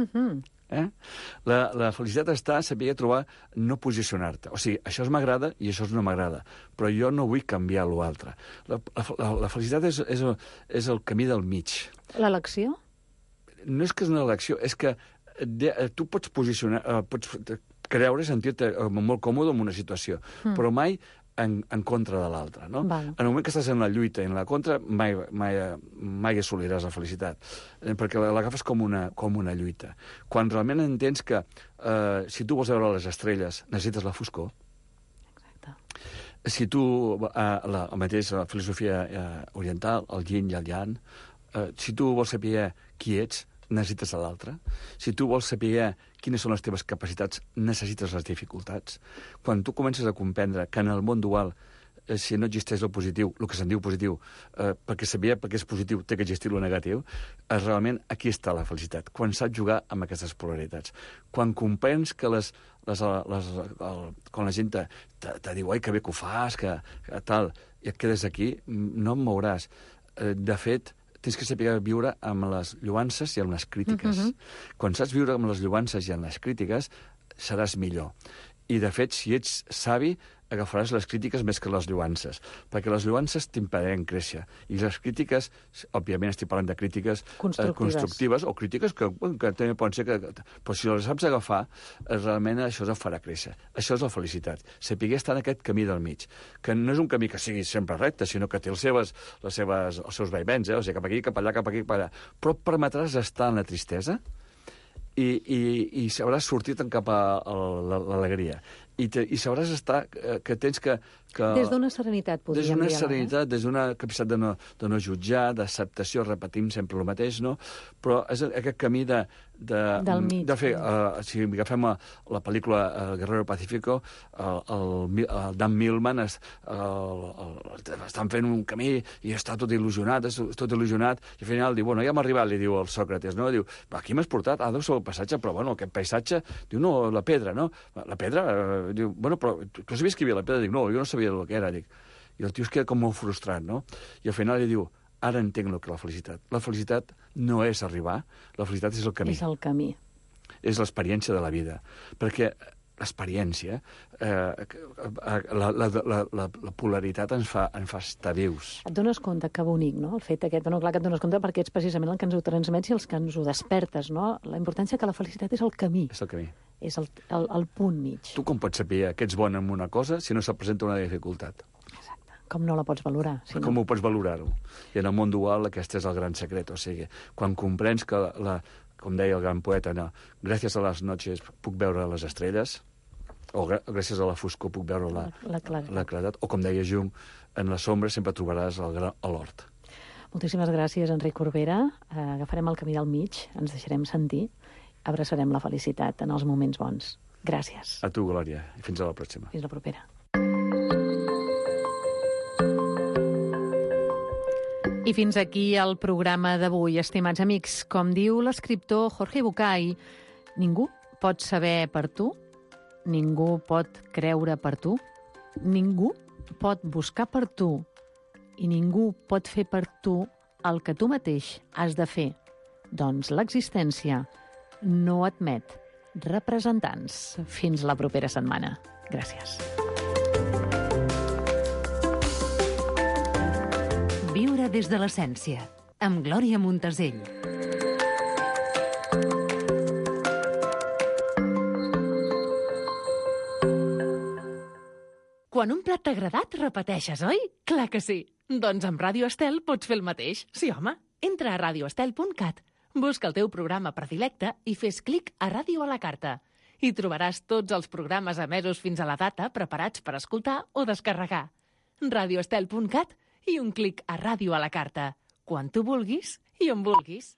La felicitat està en saber trobar, no posicionar-te. O sigui, això m'agrada i això no m'agrada, però jo no vull canviar l'altre. La felicitat és el camí del mig.
L'elecció?
No és que és una elecció, és que tu pots posicionar, pots creure, sentir-te molt còmode en una situació, però mai en contra de l'altre, no? En el moment que estàs en la lluita i en la contra, mai assoliràs la felicitat, perquè l'agafes com una lluita. Quan realment entens que si tu vols veure les estrelles, necessites la foscor. Exacte. Si tu, la mateixa filosofia oriental, el yin i el yang, si tu vols saber qui ets, necessites l'altre. Si tu vols saber quines són les teves capacitats, necessites les dificultats. Quan tu comences a comprendre que en el món dual, si no existeix el positiu, el que se'n diu positiu, perquè saber per què és positiu té que existir el negatiu, realment aquí està la felicitat, quan saps jugar amb aquestes polaritats. Quan comprens que quan la gent te diu, ai, que bé que ho fas, que tal, i et quedes aquí, no em mouràs. De fet, tens que saber viure amb les lloances i amb les crítiques. Quan saps viure amb les lloances i amb les crítiques, seràs millor. I, de fet, si ets savi, agafaràs les crítiques més que les lloances, perquè les lloances t'impediran créixer. I les crítiques, òbviament estic parlant de crítiques constructives o crítiques que també poden ser que... Però si les saps agafar, realment això et farà créixer. Això és la felicitat. Saber estar en aquest camí del mig, que no és un camí que sigui sempre recte, sinó que té els seus vaivens, o sigui, cap aquí, cap allà, cap aquí, cap allà. Però et permetràs estar en la tristesa i sabràs sortir-te'n cap a l'alegria. I sabràs estar que tens que...
Des d'una serenitat, podríem dir.
Des d'una serenitat, des d'una capacitat de no jutjar, d'acceptació, repetim sempre el mateix, no? Però és aquest camí
del mig.
De fer, si agafem la pel·lícula Guerrero Pacífico, el Dan Millman estan fent un camí i està tot il·lusionat, i al final diu, bueno, ja hem arribat, li diu el Sòcrates, no? Diu, aquí m'has portat, deu ser el paisatge, però bueno, aquest paisatge, diu, no, la pedra, no? La pedra, diu, bueno, però tu sabies que hi havia la pedra? Dic, no, jo no sabia el que era, dic. I el tio es queda com molt frustrat, no? I al final li diu, ara entenc el que és la felicitat. La felicitat no és arribar, la felicitat és el camí.
És el camí.
És l'experiència de la vida. Perquè l'experiència, la polaritat ens fa estar vius.
Et dones compte, que bonic, no? El fet aquest, no, clar que et dones compte perquè ets precisament el que ens ho transmets i els que ens ho despertes, no? La importància que la felicitat és el camí.
És el camí.
És el punt mig.
Tu com pots saber que ets bon en una cosa si no se't presenta una dificultat?
Exacte. Com no la pots valorar? Si
com ho pots valorar-ho? I en el món dual aquest és el gran secret. O sigui, quan comprens que, com deia el gran poeta, no, gràcies a les noches puc veure les estrelles, o gràcies a la foscor puc veure la claredat, o com deia Jung, en la sombra sempre trobaràs l'hort.
Moltíssimes gràcies, Enric Corbera. Agafarem el camí del mig, ens deixarem sentir, abraçarem la felicitat en els moments bons. Gràcies.
A tu, Glòria, i fins a la pròxima.
Fins la propera. I fins aquí el programa d'avui, estimats amics. Com diu l'escriptor Jorge Bucay, ningú pot saber per tu, ningú pot creure per tu, ningú pot buscar per tu i ningú pot fer per tu el que tu mateix has de fer. Doncs l'existència no admet representants. Fins la propera setmana. Gràcies.
Viure des de l'essència, amb Glòria Montesell.
Quan un plat t'ha agradat, repeteixes, oi? Clar que sí. Doncs amb Ràdio Estel pots fer el mateix. Sí, home. Entra a radioestel.cat, busca el teu programa predilecte i fes clic a Ràdio a la carta. Hi trobaràs tots els programes emesos fins a la data preparats per escoltar o descarregar. radioestel.cat i un clic a Ràdio a la carta. Quan tu vulguis i on vulguis.